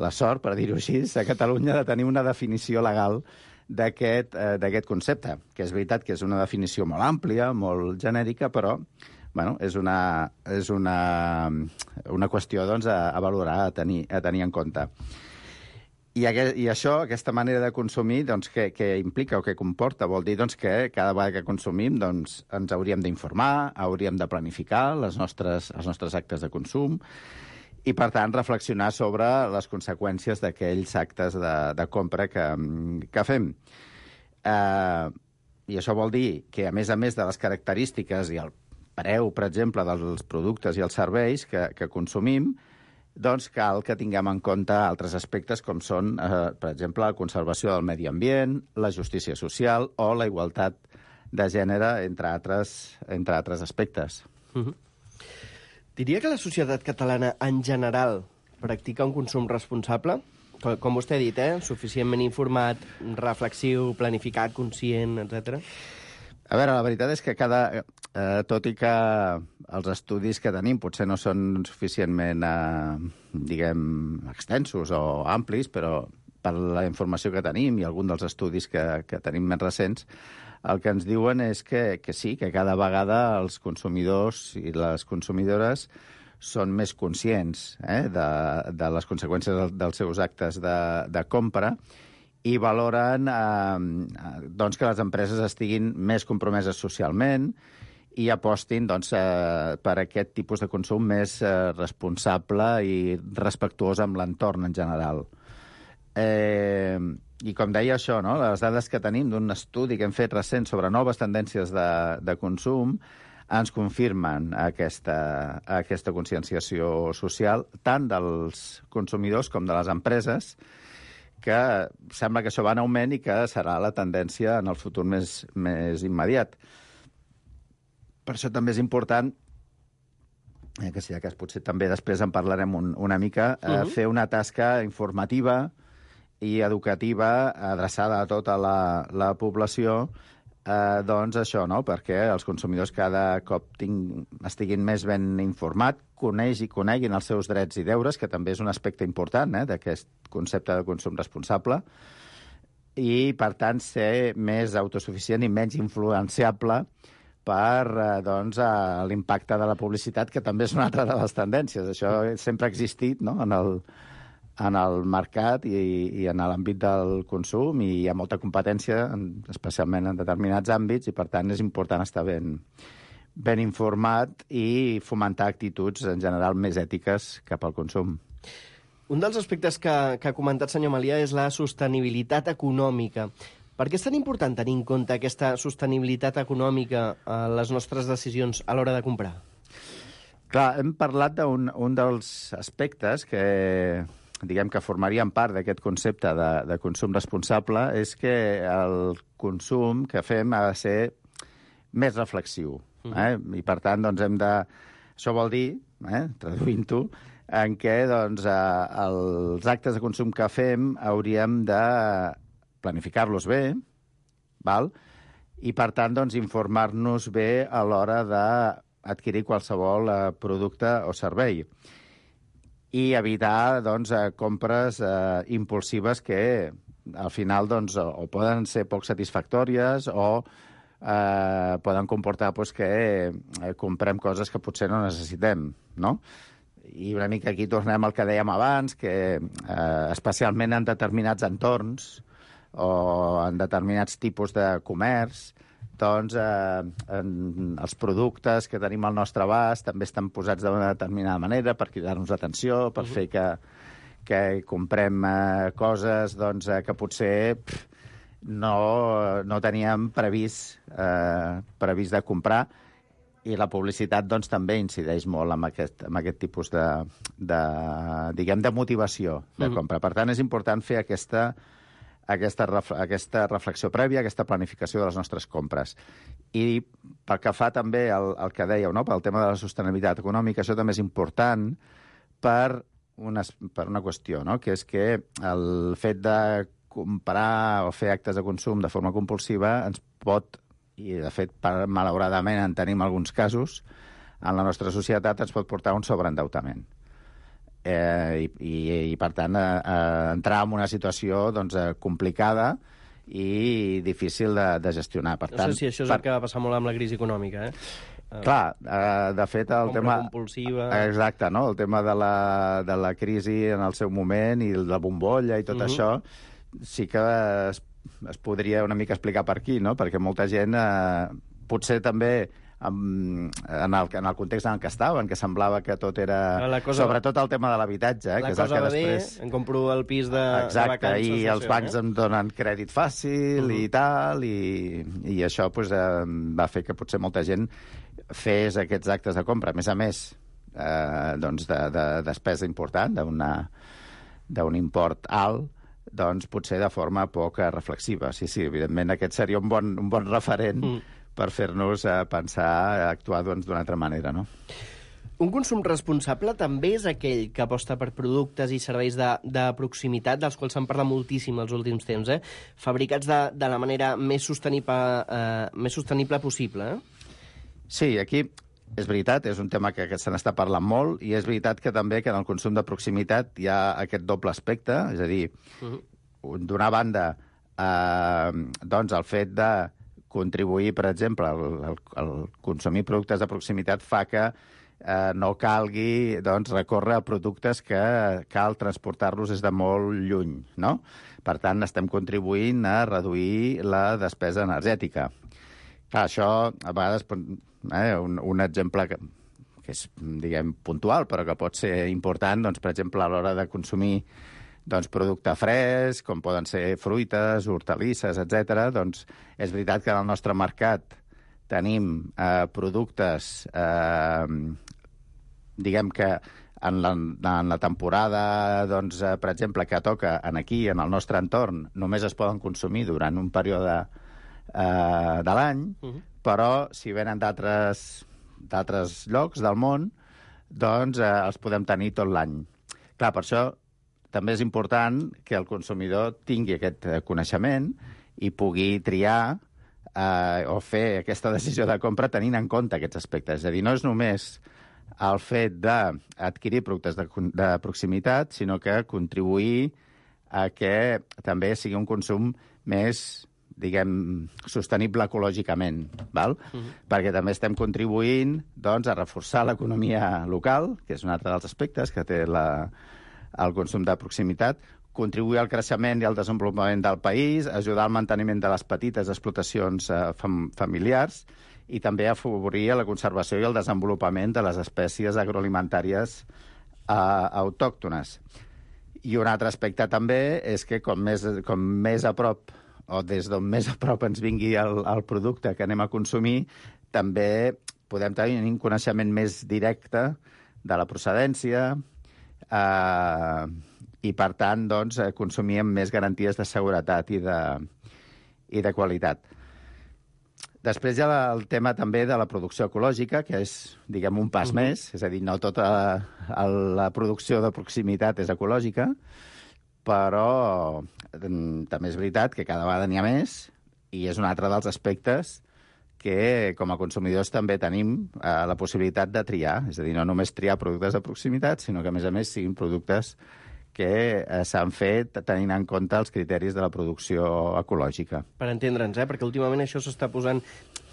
la sort, per dir-ho així, a Catalunya de tenir una definició legal d'aquest eh, d'aquest concepte, que és veritat que és una definició molt àmplia, molt genèrica, però bueno, és una, és una, una qüestió doncs, a, a valorar, a tenir, a tenir en compte. I, aquest, I això, aquesta manera de consumir, doncs, què, què implica o què comporta? Vol dir doncs, que cada vegada que consumim doncs, ens hauríem d'informar, hauríem de planificar les nostres, els nostres actes de consum, i, per tant, reflexionar sobre les conseqüències d'aquells actes de, de compra que, que fem. Eh, I això vol dir que, a més a més de les característiques i el preu, per exemple, dels productes i els serveis que, que consumim, doncs cal que tinguem en compte altres aspectes com són, eh, per exemple, la conservació del medi ambient, la justícia social o la igualtat de gènere, entre altres, entre altres aspectes. Uh-huh. Diria que la societat catalana, en general, practica un consum responsable? Com, com vostè ha dit, eh? Suficientment informat, reflexiu, planificat, conscient, etcètera. A veure, la veritat és que cada... Eh, tot i que els estudis que tenim potser no són suficientment, eh, diguem, extensos o amplis, però per la informació que tenim i algun dels estudis que, que tenim més recents, el que ens diuen és que, que sí, que cada vegada els consumidors i les consumidores són més conscients eh, de, de les conseqüències de, dels seus actes de, de compra i valoren eh, doncs que les empreses estiguin més compromeses socialment i apostin doncs, eh, per aquest tipus de consum més eh, responsable i respectuós amb l'entorn en general. Eh, I com deia això, no? Les dades que tenim d'un estudi que hem fet recent sobre noves tendències de, de consum ens confirmen aquesta, aquesta conscienciació social tant dels consumidors com de les empreses, que sembla que això va en augment i que serà la tendència en el futur més, més immediat. Per això també és important, eh, que sí, que potser també després en parlarem un, una mica, eh, uh-huh. fer una tasca informativa i educativa adreçada a tota la, la població, eh, doncs això, no? Perquè els consumidors cada cop ting, estiguin més ben informats, coneix i coneguin els seus drets i deures, que també és un aspecte important eh, d'aquest concepte de consum responsable, i, per tant, ser més autosuficient i menys influenciable per eh, doncs, eh, l'impacte de la publicitat, que també és una altra de les tendències. Això sempre ha existit, no?, en el, en el mercat i, i en l'àmbit del consum, i hi ha molta competència, especialment en determinats àmbits, i per tant és important estar ben, ben informat i fomentar actituds en general més ètiques cap al consum. Un dels aspectes que, que ha comentat senyor Melià és la sostenibilitat econòmica. Per què és tan important tenir en compte aquesta sostenibilitat econòmica a les nostres decisions a l'hora de comprar? Clar, hem parlat d'un un dels aspectes que diguem que formarien part d'aquest concepte de, de consum responsable, és que el consum que fem ha de ser més reflexiu. Eh? I, per tant, doncs, hem de... Això vol dir, eh, traduint-ho, en què doncs, eh, els actes de consum que fem hauríem de planificar-los bé, val? I, per tant, doncs, informar-nos bé a l'hora d'adquirir qualsevol eh, producte o servei. I evitar doncs, compres eh, impulsives que al final doncs, o poden ser poc satisfactòries o eh, poden comportar doncs, que eh, comprem coses que potser no necessitem, no? I una mica aquí tornem al que dèiem abans, que eh, especialment en determinats entorns o en determinats tipus de comerç, doncs eh, en, els productes que tenim al nostre abast també estan posats d'una determinada manera per cridar-nos l'atenció, per uh-huh. fer que, que comprem eh, coses doncs, eh, que potser pff, no, no teníem previst, eh, previst de comprar, i la publicitat doncs, també incideix molt en aquest, en aquest tipus de, de, diguem, de motivació de uh-huh. compra. Per tant, és important fer aquesta Aquesta, aquesta reflexió prèvia, aquesta planificació de les nostres compres. I pel que fa també al, al que dèieu, no? Pel tema de la sostenibilitat econòmica, això també és important per una, per una qüestió, no? Que és que el fet de comprar o fer actes de consum de forma compulsiva ens pot, i de fet, per, malauradament en tenim alguns casos, en la nostra societat ens pot portar a un sobreendeutament. Eh, i, i, i, per tant, eh, eh, entrar en una situació doncs, eh, complicada i difícil de, de gestionar. Per no tant, sé si això és per... el que va passar molt amb la crisi econòmica, eh? Clar, eh, de fet, el compra tema... compulsiva... Exacte, no? El tema de la, de la crisi en el seu moment i la bombolla i tot uh-huh. això, sí que es, es podria una mica explicar per aquí, no? Perquè molta gent, eh, potser també... En el, en el context en què estaven, que semblava que tot era... Cosa, sobretot el tema de l'habitatge, eh, que és el que després... Bé, em compro el pis de, exacte, de vacances... i els bancs eh? em donen crèdit fàcil uh-huh. i tal, i, i això pues, eh, va fer que potser molta gent fes aquests actes de compra. A més a més, eh, doncs de, de despesa important, d'un import alt, doncs potser de forma poc reflexiva. Sí, sí, evidentment aquest seria un bon, un bon referent uh-huh. per fer-nos eh, pensar, actuar doncs, d'una altra manera, no? Un consum responsable també és aquell que aposta per productes i serveis de, de proximitat, dels quals se'n parla moltíssim els últims temps, eh? Fabricats de, de la manera més sostenible, eh, més sostenible possible, eh? Sí, aquí és veritat, és un tema que, que se n'està parlant molt, i és veritat que també que en el consum de proximitat hi ha aquest doble aspecte, és a dir, uh-huh. d'una banda, eh, doncs el fet de contribuir, per exemple, el, el, el consumir productes de proximitat fa que eh, no calgui doncs, recórrer a productes que cal transportar-los des de molt lluny, no? Per tant, estem contribuint a reduir la despesa energètica. Clar, això, a vegades, eh, un, un exemple que, que és, diguem, puntual, però que pot ser important, doncs, per exemple, a l'hora de consumir doncs, producte fresc, com poden ser fruites, hortalisses, etcètera, doncs és veritat que en el nostre mercat tenim eh, productes, eh, diguem que en la, en la temporada, doncs, eh, per exemple, que toca en aquí, en el nostre entorn, només es poden consumir durant un període eh, de l'any, uh-huh. però si venen d'altres d'altres llocs del món, doncs eh, els podem tenir tot l'any. Clar, per això també és important que el consumidor tingui aquest coneixement i pugui triar eh, o fer aquesta decisió de compra tenint en compte aquests aspectes. És a dir, no és només el fet d'adquirir productes de, de proximitat, sinó que contribuir a que també sigui un consum més, diguem, sostenible ecològicament, val? Uh-huh. Perquè també estem contribuint, doncs, a reforçar l'economia local, que és un altre dels aspectes que té la, el consum de proximitat, contribuir al creixement i al desenvolupament del país, ajudar al manteniment de les petites explotacions eh, fam familiars i també afavorir la conservació i el desenvolupament de les espècies agroalimentàries eh, autòctones. I un altre aspecte també és que com més, com més a prop o des d'on més a prop ens vingui el, el producte que anem a consumir, també podem tenir un coneixement més directe de la procedència eh, i, per tant, doncs, consumir amb més garanties de seguretat i de, i de qualitat. Després hi ha el tema també de la producció ecològica, que és, diguem, un pas uh-huh. més, és a dir, no tota la, la producció de proximitat és ecològica, però també és veritat que cada vegada n'hi ha més i és un altre dels aspectes que com a consumidors també tenim eh, la possibilitat de triar. És a dir, no només triar productes de proximitat, sinó que, a més a més, siguin productes que eh, s'han fet tenint en compte els criteris de la producció ecològica. Per entendre'ns, eh? Perquè últimament això s'està posant...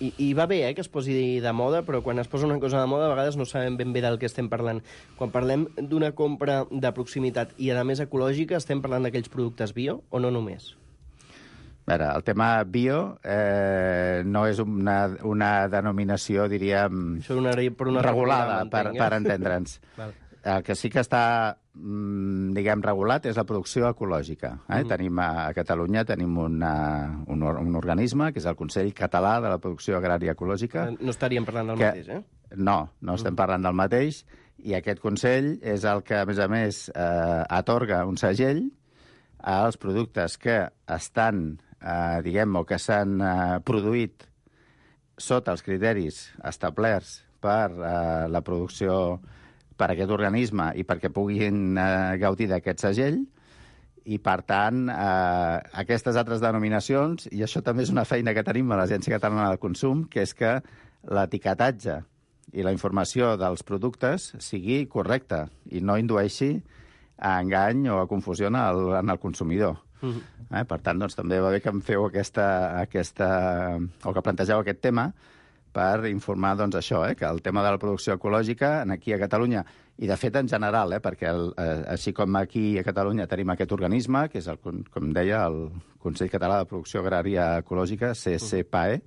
I, I va bé eh, que es posi de moda, però quan es posa una cosa de moda a vegades no sabem ben bé del que estem parlant. Quan parlem d'una compra de proximitat i, a més, ecològica, estem parlant d'aquells productes bio o no només? A veure, el tema bio eh, no és una, una denominació, diríem, Això una, per una regulada, per, per entendre'ns. El que sí que està, diguem, regulat és la producció ecològica. Eh? Mm. Tenim a, a Catalunya tenim una, un, un organisme, que és el Consell Català de la Producció Agrària Ecològica. No estaríem parlant del que, mateix, eh? No, no estem parlant del mateix, i aquest Consell és el que, a més a més, eh, atorga un segell als productes que estan, eh, diguem, o que s'han eh, produït sota els criteris establerts per eh, la producció per aquest organisme i perquè puguin eh, gaudir d'aquest segell, i, per tant, eh, aquestes altres denominacions, i això també és una feina que tenim a l'Agència Catalana del Consum, que és que l'etiquetatge i la informació dels productes sigui correcta i no indueixi a engany o a confusió en el, en el consumidor. Uh-huh. eh? Per tant, doncs, també va bé que em feu aquesta, aquesta, o que plantegeu aquest tema, per informar, doncs, això, eh, que el tema de la producció ecològica aquí a Catalunya, i de fet en general, eh, perquè el, eh, així com aquí a Catalunya tenim aquest organisme, que és, el, com deia, el Consell Català de Producció Agrària Ecològica, C C P A E,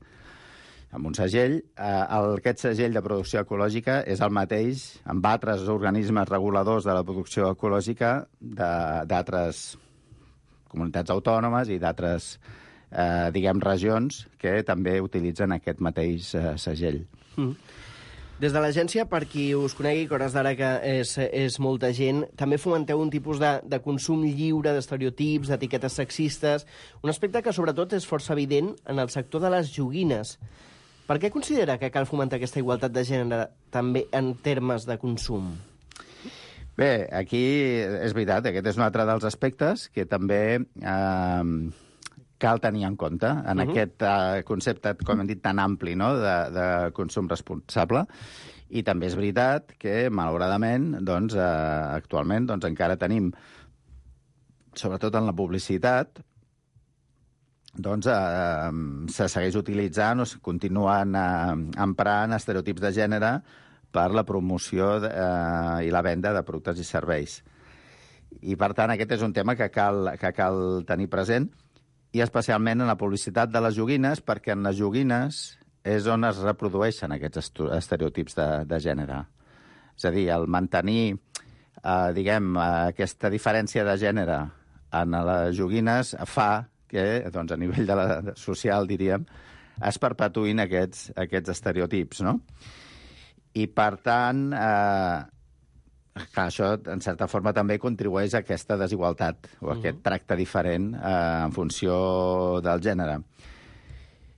amb un segell, eh, el, aquest segell de producció ecològica és el mateix amb altres organismes reguladors de la producció ecològica d'altres comunitats autònomes i d'altres Eh, diguem, regions que també utilitzen aquest mateix eh, segell. Mm. Des de l'agència, per qui us conegui, que hores d'ara que és, és molta gent, també fomenteu un tipus de, de consum lliure d'estereotips, d'etiquetes sexistes, un aspecte que sobretot és força evident en el sector de les joguines. Per què considera que cal fomentar aquesta igualtat de gènere també en termes de consum? Bé, aquí és veritat, aquest és un altre dels aspectes que també eh, cal tenir en compte en uh-huh. aquest uh, concepte, com hem dit, tan ampli, no?, de, de consum responsable. I també és veritat que, malauradament, doncs, uh, actualment doncs, encara tenim, sobretot en la publicitat, doncs, uh, se segueix utilitzant o continuen uh, emprant estereotips de gènere per la promoció de, uh, i la venda de productes i serveis. I, per tant, aquest és un tema que cal, que cal tenir present, i especialment en la publicitat de les joguines, perquè en les joguines és on es reprodueixen aquests estereotips de, de gènere. És a dir, el mantenir, eh, diguem, aquesta diferència de gènere en les joguines fa que, doncs, a nivell de la, social, diríem, es perpetuïn aquests, aquests estereotips, no? I, per tant, eh, clar, això, en certa forma, també contribueix a aquesta desigualtat o a aquest tracte diferent eh, en funció del gènere.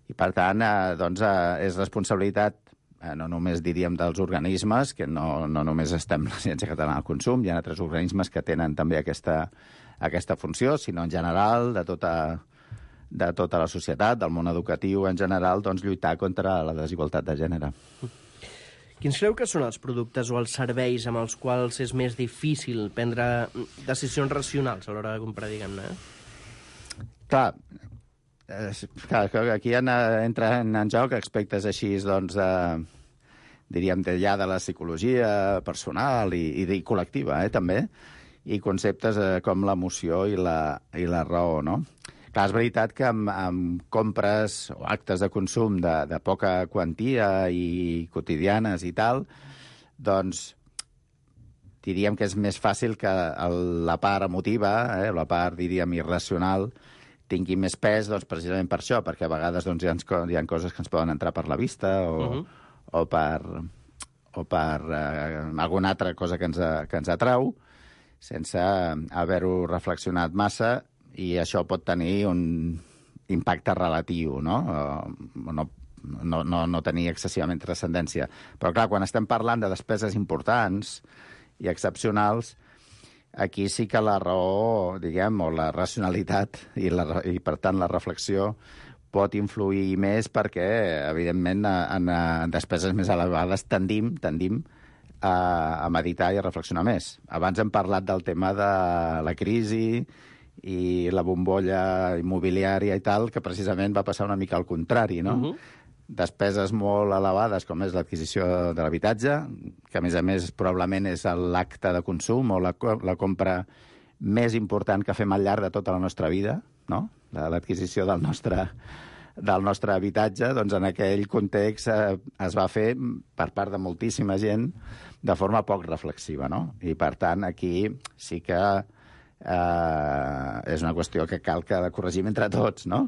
I, per tant, eh, doncs, eh, és responsabilitat eh, no només, diríem, dels organismes, que no, no només estem l'Agència Catalana del Consum, hi ha altres organismes que tenen també aquesta, aquesta funció, sinó en general de tota, de tota la societat, del món educatiu en general, doncs, lluitar contra la desigualtat de gènere. Quins creu que són els productes o els serveis amb els quals és més difícil prendre decisions racionals a l'hora de comprar, diguem-ne? Eh? Clar, eh, clar, aquí en, entren en joc aspectes així, doncs, de, diríem, de, ja de la psicologia personal i, i, i col·lectiva, eh, també, i conceptes eh, com l'emoció i la, i la raó, no? Clar, és veritat que amb, amb compres o actes de consum de, de poca quantia i quotidianes i tal, doncs diríem que és més fàcil que el, la part emotiva, eh, la part, diríem, irracional, tingui més pes, doncs, precisament per això, perquè a vegades doncs, hi, ha, hi ha coses que ens poden entrar per la vista o, uh-huh. o per, o per eh, alguna altra cosa que ens, que ens atrau, sense haver-ho reflexionat massa, i això pot tenir un impacte relatiu, no? O no, no, no, no tenir excessivament transcendència. Però, clar, quan estem parlant de despeses importants i excepcionals, aquí sí que la raó, diguem, o la racionalitat i, la, i per tant, la reflexió pot influir més perquè, evidentment, en, en despeses més elevades tendim, tendim a, a meditar i a reflexionar més. Abans hem parlat del tema de la crisi i la bombolla immobiliària i tal, que precisament va passar una mica al contrari, no? Uh-huh. Despeses molt elevades, com és l'adquisició de l'habitatge, que a més a més probablement és l'acte de consum o la, la compra més important que fem al llarg de tota la nostra vida, no? L'adquisició del nostre, del nostre habitatge, doncs en aquell context eh, es va fer per part de moltíssima gent de forma poc reflexiva, no? I per tant aquí sí que Uh, és una qüestió que cal que corregim entre tots, no?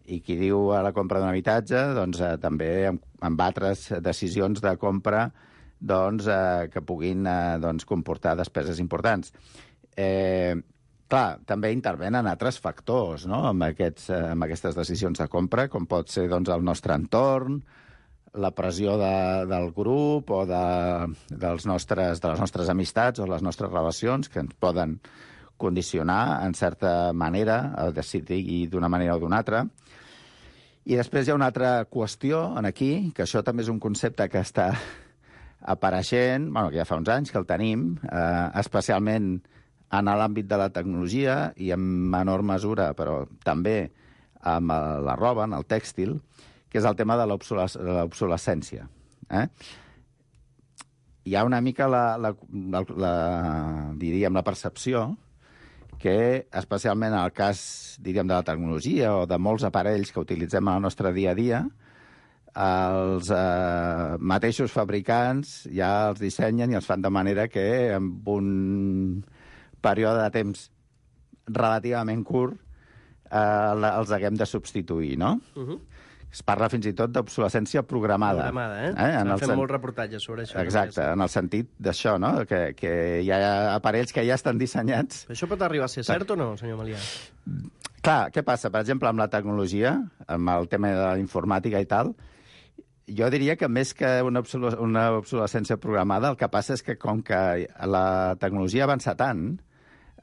I qui diu a la compra d'un habitatge, doncs uh, també amb, amb altres decisions de compra doncs, uh, que puguin uh, doncs, comportar despeses importants. Eh, clar, també intervenen altres factors, no? amb, aquests, uh, amb aquestes decisions de compra, com pot ser doncs, el nostre entorn, la pressió de, del grup o de, dels nostres, de les nostres amistats o les nostres relacions, que ens poden condicionar, en certa manera, a decidir d'una manera o d'una altra. I després hi ha una altra qüestió en aquí, que això també és un concepte que està apareixent, bueno, que ja fa uns anys que el tenim, eh, especialment en l'àmbit de la tecnologia i en menor mesura, però també amb la roba, en el tèxtil, que és el tema de l'obsolescència. Eh? Hi ha una mica la, la, la, la, diríem, la percepció que, especialment en el cas, diríem, de la tecnologia o de molts aparells que utilitzem en el nostre dia a dia, els eh, mateixos fabricants ja els dissenyen i els fan de manera que en un període de temps relativament curt eh, els haguem de substituir, no? Uh-huh. Es parla fins i tot d'obsolescència programada. Programada, eh? eh? S'han fet sen... molts reportatges sobre això. Exacte, en el sentit d'això, no? Que, que hi ha aparells que ja estan dissenyats. Però això pot arribar a ser cert o no, senyor Melià? Clar, què passa? Per exemple, amb la tecnologia, amb el tema de la informàtica i tal, jo diria que més que una, obsoles... una obsolescència programada, el que passa és que com que la tecnologia avança tant,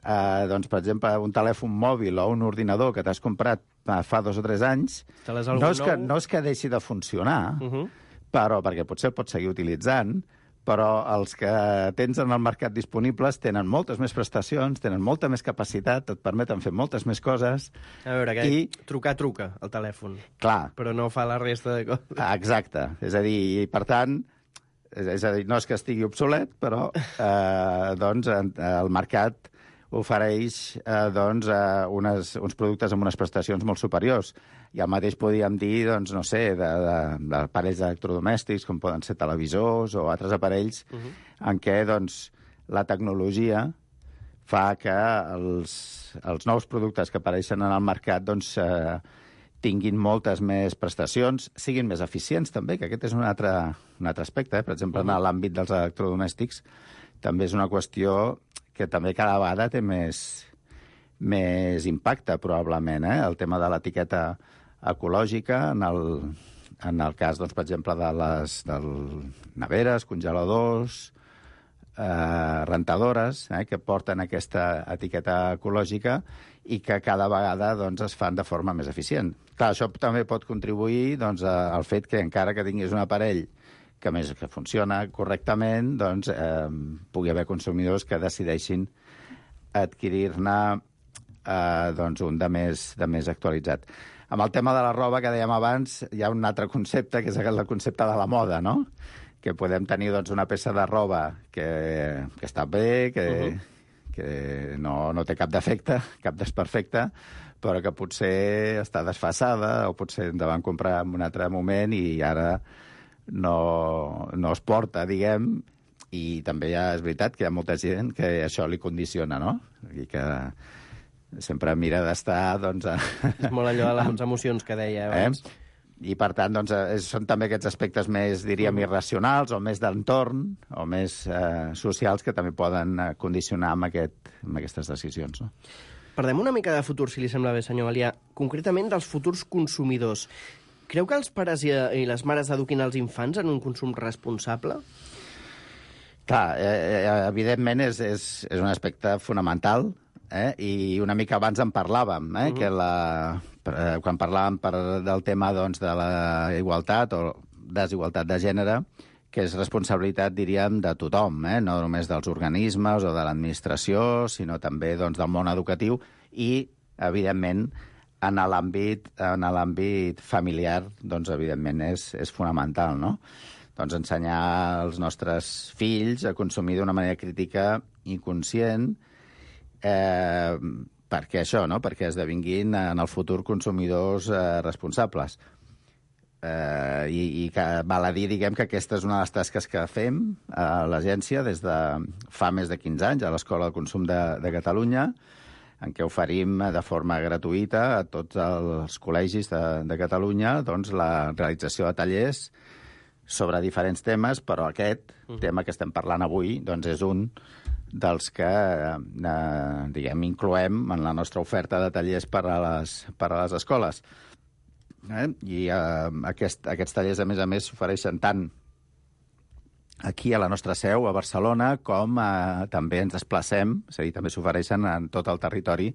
eh, doncs, per exemple, un telèfon mòbil o un ordinador que t'has comprat fa dos o tres anys, no és, que, no és que deixi de funcionar, uh-huh. però perquè potser el pots seguir utilitzant, però els que tens en el mercat disponibles tenen moltes més prestacions, tenen molta més capacitat, et permeten fer moltes més coses. A veure, que i... trucar, truca, el telèfon. Clar. Però no fa la resta de coses. Exacte. És a dir, i per tant, és a dir, no és que estigui obsolet, però eh, doncs el mercat ofereix eh, doncs, eh, unes, uns productes amb unes prestacions molt superiors. I el mateix podríem dir, doncs, no sé, d'aparells electrodomèstics, com poden ser televisors o altres aparells, uh-huh. en què doncs, la tecnologia fa que els, els nous productes que apareixen en el mercat doncs, eh, tinguin moltes més prestacions, siguin més eficients també, que aquest és un altre, un altre aspecte. Eh? Per exemple, uh-huh. en l'àmbit dels electrodomèstics, també és una qüestió que també cada vegada té més, més impacte, probablement, eh? El tema de l'etiqueta ecològica, en el, en el cas, doncs, per exemple, de les del neveres, congeladors, eh, rentadores, eh, que porten aquesta etiqueta ecològica i que cada vegada, doncs, es fan de forma més eficient. Clar, això també pot contribuir, doncs, a, al fet que encara que tinguis un aparell que més que funciona correctament, doncs, eh, pugui haver consumidors que decideixin adquirir-ne eh, doncs, un de més, de més actualitzat. Amb el tema de la roba, que dèiem abans, hi ha un altre concepte, que és el concepte de la moda, no? Que podem tenir, doncs, una peça de roba que, que està bé, que, uh-huh. que no, no té cap defecte, cap desperfecte, però que potser està desfasada o potser ens la van comprar en un altre moment i ara no, no es porta, diguem, i també ja és veritat que hi ha molta gent que això li condiciona, no? I que sempre mira d'estar, doncs... A... És molt allò de les emocions que deia abans. Eh? I, per tant, doncs, són també aquests aspectes més, diríem, irracionals o més d'entorn o més eh, socials que també poden condicionar amb, aquest, amb aquestes decisions, no? Parlem una mica de futur, si li sembla bé, senyor Malià. Concretament dels futurs consumidors. Creu que els pares i, i les mares eduquin els infants en un consum responsable? Clar, eh, evidentment és, és, és un aspecte fonamental, eh? I una mica abans en parlàvem, eh? Uh-huh. Que la, eh, quan parlàvem per, del tema, doncs, de la igualtat o desigualtat de gènere, que és responsabilitat, diríem, de tothom, eh? No només dels organismes o de l'administració, sinó també, doncs, del món educatiu i, evidentment, en l'àmbit en l'àmbit familiar, doncs, evidentment, és, és fonamental, no? Doncs ensenyar als nostres fills a consumir d'una manera crítica i conscient, eh, perquè això, no? Perquè esdevinguin en el futur consumidors eh, responsables. Eh, i, i que val a dir, diguem, que aquesta és una de les tasques que fem a l'agència des de fa més de quinze anys a l'Escola de Consum de, de Catalunya, en què oferim de forma gratuïta a tots els col·legis de, de Catalunya, doncs, la realització de tallers sobre diferents temes, però aquest uh-huh. tema que estem parlant avui, doncs, és un dels que eh, diguem, incloem en la nostra oferta de tallers per a les, per a les escoles. Eh? I eh, aquest, aquests tallers, a més a més, s'ofereixen tant aquí a la nostra seu, a Barcelona, com eh, també ens desplacem, és a dir, també s'ofereixen en tot el territori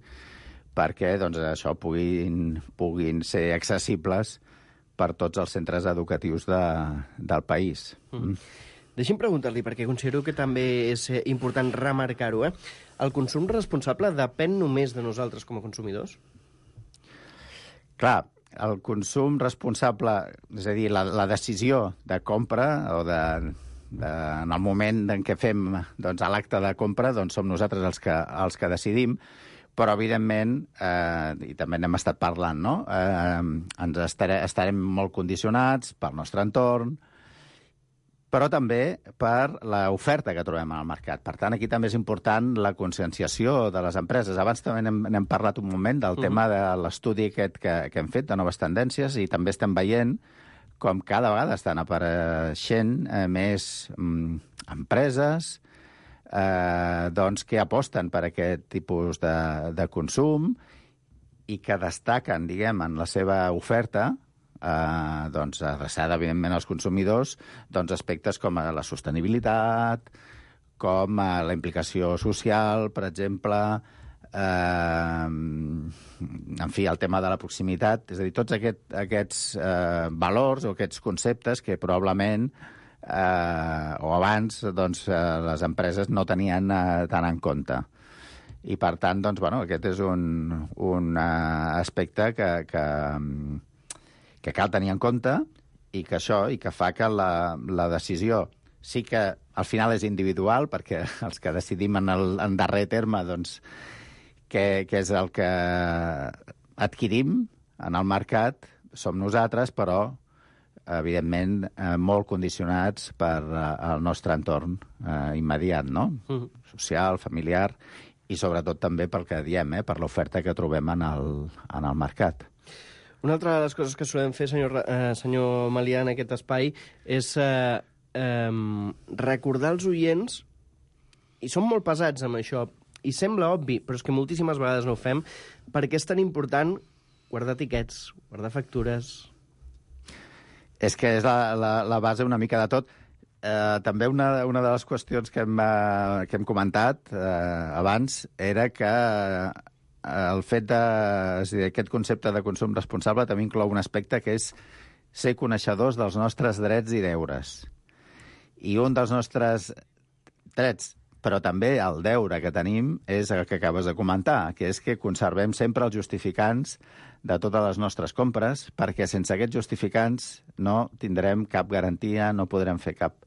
perquè, doncs, això puguin, puguin ser accessibles per tots els centres educatius de, del país. Mm. Deixi'm preguntar-li, perquè considero que també és important remarcar-ho, eh? El consum responsable depèn només de nosaltres com a consumidors? Clar, el consum responsable, és a dir, la, la decisió de compra o de, de, en el moment en què fem, doncs, l'acte de compra, doncs som nosaltres els que, els que decidim, però, evidentment, eh, i també n'hem estat parlant, no? Eh, ens estarem, estarem molt condicionats pel nostre entorn, però també per l'oferta que trobem al mercat. Per tant, aquí també és important la conscienciació de les empreses. Abans també n'hem, n'hem parlat un moment del uh-huh. tema de l'estudi aquest que, que hem fet de noves tendències i també estem veient com cada vegada estan apareixent eh, més mm, empreses eh, doncs, que aposten per aquest tipus de, de consum i que destaquen, diguem, en la seva oferta Uh, doncs, adreçada, evidentment, als consumidors, doncs, aspectes com la sostenibilitat, com uh, la implicació social, per exemple, uh, en fi, el tema de la proximitat, és a dir, tots aquest, aquests uh, valors o aquests conceptes que probablement uh, o abans doncs, uh, les empreses no tenien uh, tant en compte. I, per tant, doncs, bueno, aquest és un, un uh, aspecte que... que que cal tenir en compte i que això, i que fa que la, la decisió sí que al final és individual, perquè els que decidim en, el, en darrer terme, doncs, què, què és el que adquirim en el mercat, som nosaltres, però, evidentment, eh, molt condicionats per eh, el nostre entorn eh, immediat, no? Uh-huh. Social, familiar, i sobretot també pel que diem, eh, per l'oferta que trobem en el, en el mercat. Una altra de les coses que solem fer, senyor, eh, senyor Malià, en aquest espai, és eh, eh, recordar als oients i som molt pesats amb això, i sembla obvi, però és que moltíssimes vegades no ho fem, perquè és tan important guardar tiquets, guardar factures... És que és la, la, la base una mica de tot. Eh, també una, una de les qüestions que hem, eh, que hem comentat eh, abans era que eh, el fet de... És a dir, aquest concepte de consum responsable també inclou un aspecte que és ser coneixedors dels nostres drets i deures. I un dels nostres drets, però també el deure que tenim, és el que acabes de comentar, que és que conservem sempre els justificants de totes les nostres compres, perquè sense aquests justificants no tindrem cap garantia, no podrem fer cap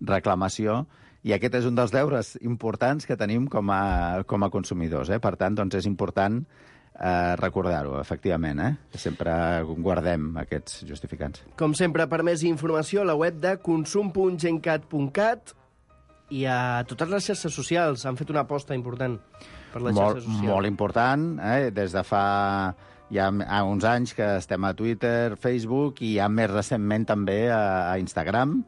reclamació, i aquest és un dels deures importants que tenim com a, com a consumidors. Eh? Per tant, doncs és important eh, recordar-ho, efectivament, eh? que sempre guardem aquests justificants. Com sempre, per més informació, a la web de consum punt gencat punt cat i a totes les xarxes socials. Han fet una aposta important per les molt, xarxes socials. Molt important, eh? Des de fa ja ha uns anys que estem a Twitter, Facebook i ja més recentment també a, a Instagram.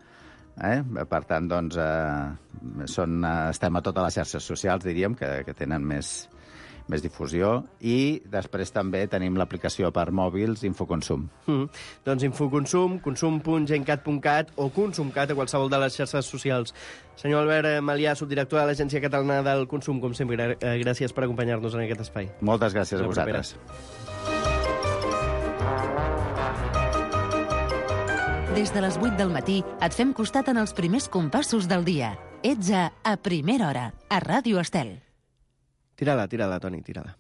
Eh? Per tant, doncs, eh, són, estem a totes les xarxes socials, diríem, que, que tenen més, més difusió. I després també tenim l'aplicació per mòbils Infoconsum. Mm. Doncs Infoconsum, consum punt gencat punt cat o consumcat a qualsevol de les xarxes socials. Senyor Albert Malià, subdirector de l'Agència Catalana del Consum, com sempre, gràcies per acompanyar-nos en aquest espai. Moltes gràcies a vosaltres. Des de les vuit del matí et fem costat en els primers compassos del dia. Ets a A Primera Hora, a Ràdio Estel. Tira-la, tira-la, Toni, tira-la.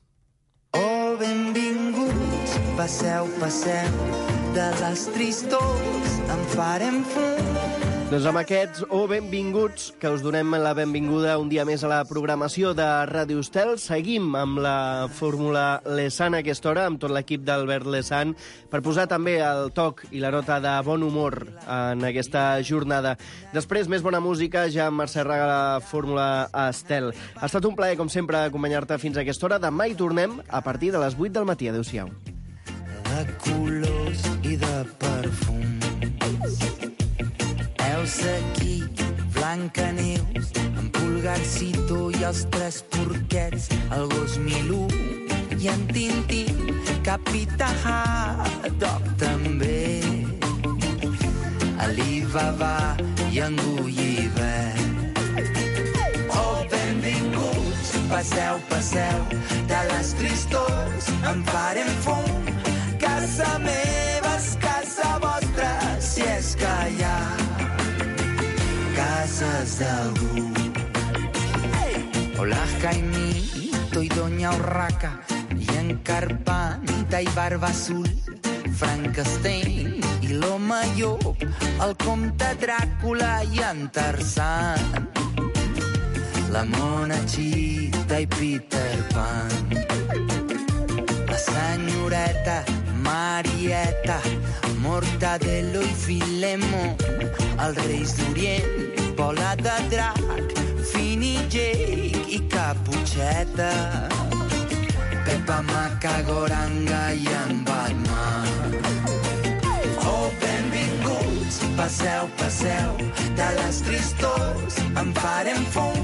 Oh, benvinguts, passeu, passeu, de les tristors en farem fum. Doncs amb aquests, o oh, benvinguts, que us donem la benvinguda un dia més a la programació de Ràdio Estel. Seguim amb la fórmula Lesan a aquesta hora, amb tot l'equip d'Albert Lesan, per posar també el toc i la nota de bon humor en aquesta jornada. Després, més bona música, ja amb Mercè Raga, la fórmula Estel. Ha estat un plaer, com sempre, acompanyar-te fins a aquesta hora. Demà hi tornem a partir de les vuit del matí. Adéu-siau. De colors i de perfums. Elsa aquí, Blancaneus, en Pulgarcito i els tres porquets, el gos Milú i en Tintín, Capità Haddock també, Alibaba i en Gulliver. Oh, benvinguts, passeu, passeu, de les tristors en farem fum. Casa meva és casa vostra, si és que hi ha cases d'algú. Hola, Jaimito i Doña Urraca, i en Carpanta i Barba Azul, Frankenstein i l'Home Llop, el comte Dràcula i en Tarzan, la Monachita i Peter Pan, la senyoreta Marieta, Mortadelo i Filemó, els Reis d'Orient, Bola de Drac, Fini Jake i Caputxeta, Pepa Macagoranga i en Batman. Oh, benvinguts, passeu, passeu, de les tristors en farem fum.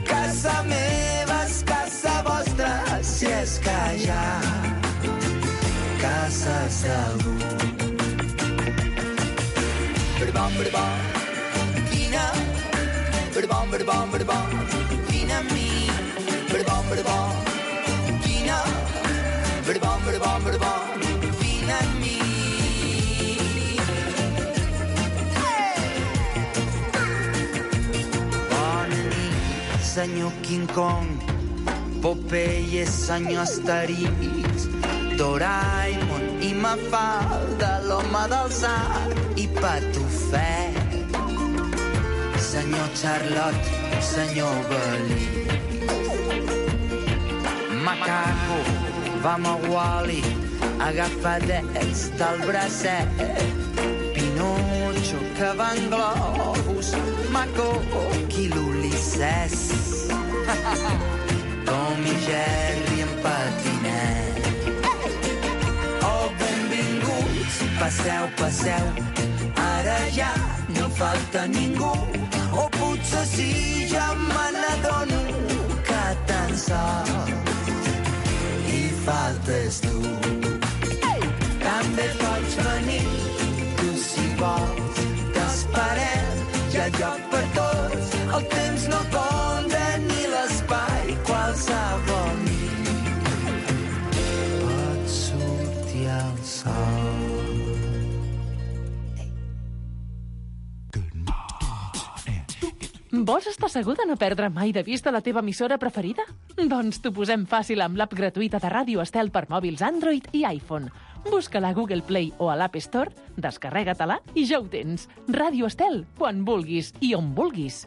Casa meva és casa vostra, si és que hi ha cases d'algú. Bam, bam, vine, bam, bam, bam, vine a mi, bam, bam, vine, bam, bam, bam, vine a mi. Bona nit, senyor King Kong, Popeye, senyor Asterix, Doraemon i Mafalda, l'home del sac i Patufet, senyor Charlot, senyor Belí, Macaco, vam a Wall-E, agafadets del bracet, Pinocho, que va en globus, Maco, qui l'Ulisses, Tom i Jerry en patinet. Oh, benvinguts, passeu, passeu, ara ja no falta ningú. o potser sí, ja me n'adono que tan sol hi faltes tu. També pots venir, tu si vols, t'esperem, hi ha lloc per tots, el temps no compta ni l'espai, qualsevol nit pot sortir al sol. Vols estar segur de no perdre mai de vista la teva emissora preferida? Doncs t'ho posem fàcil amb l'app gratuïta de Ràdio Estel per mòbils Android i iPhone. Busca-la a Google Play o a l'App Store, descarrega-te-la i ja ho tens. Ràdio Estel, quan vulguis i on vulguis.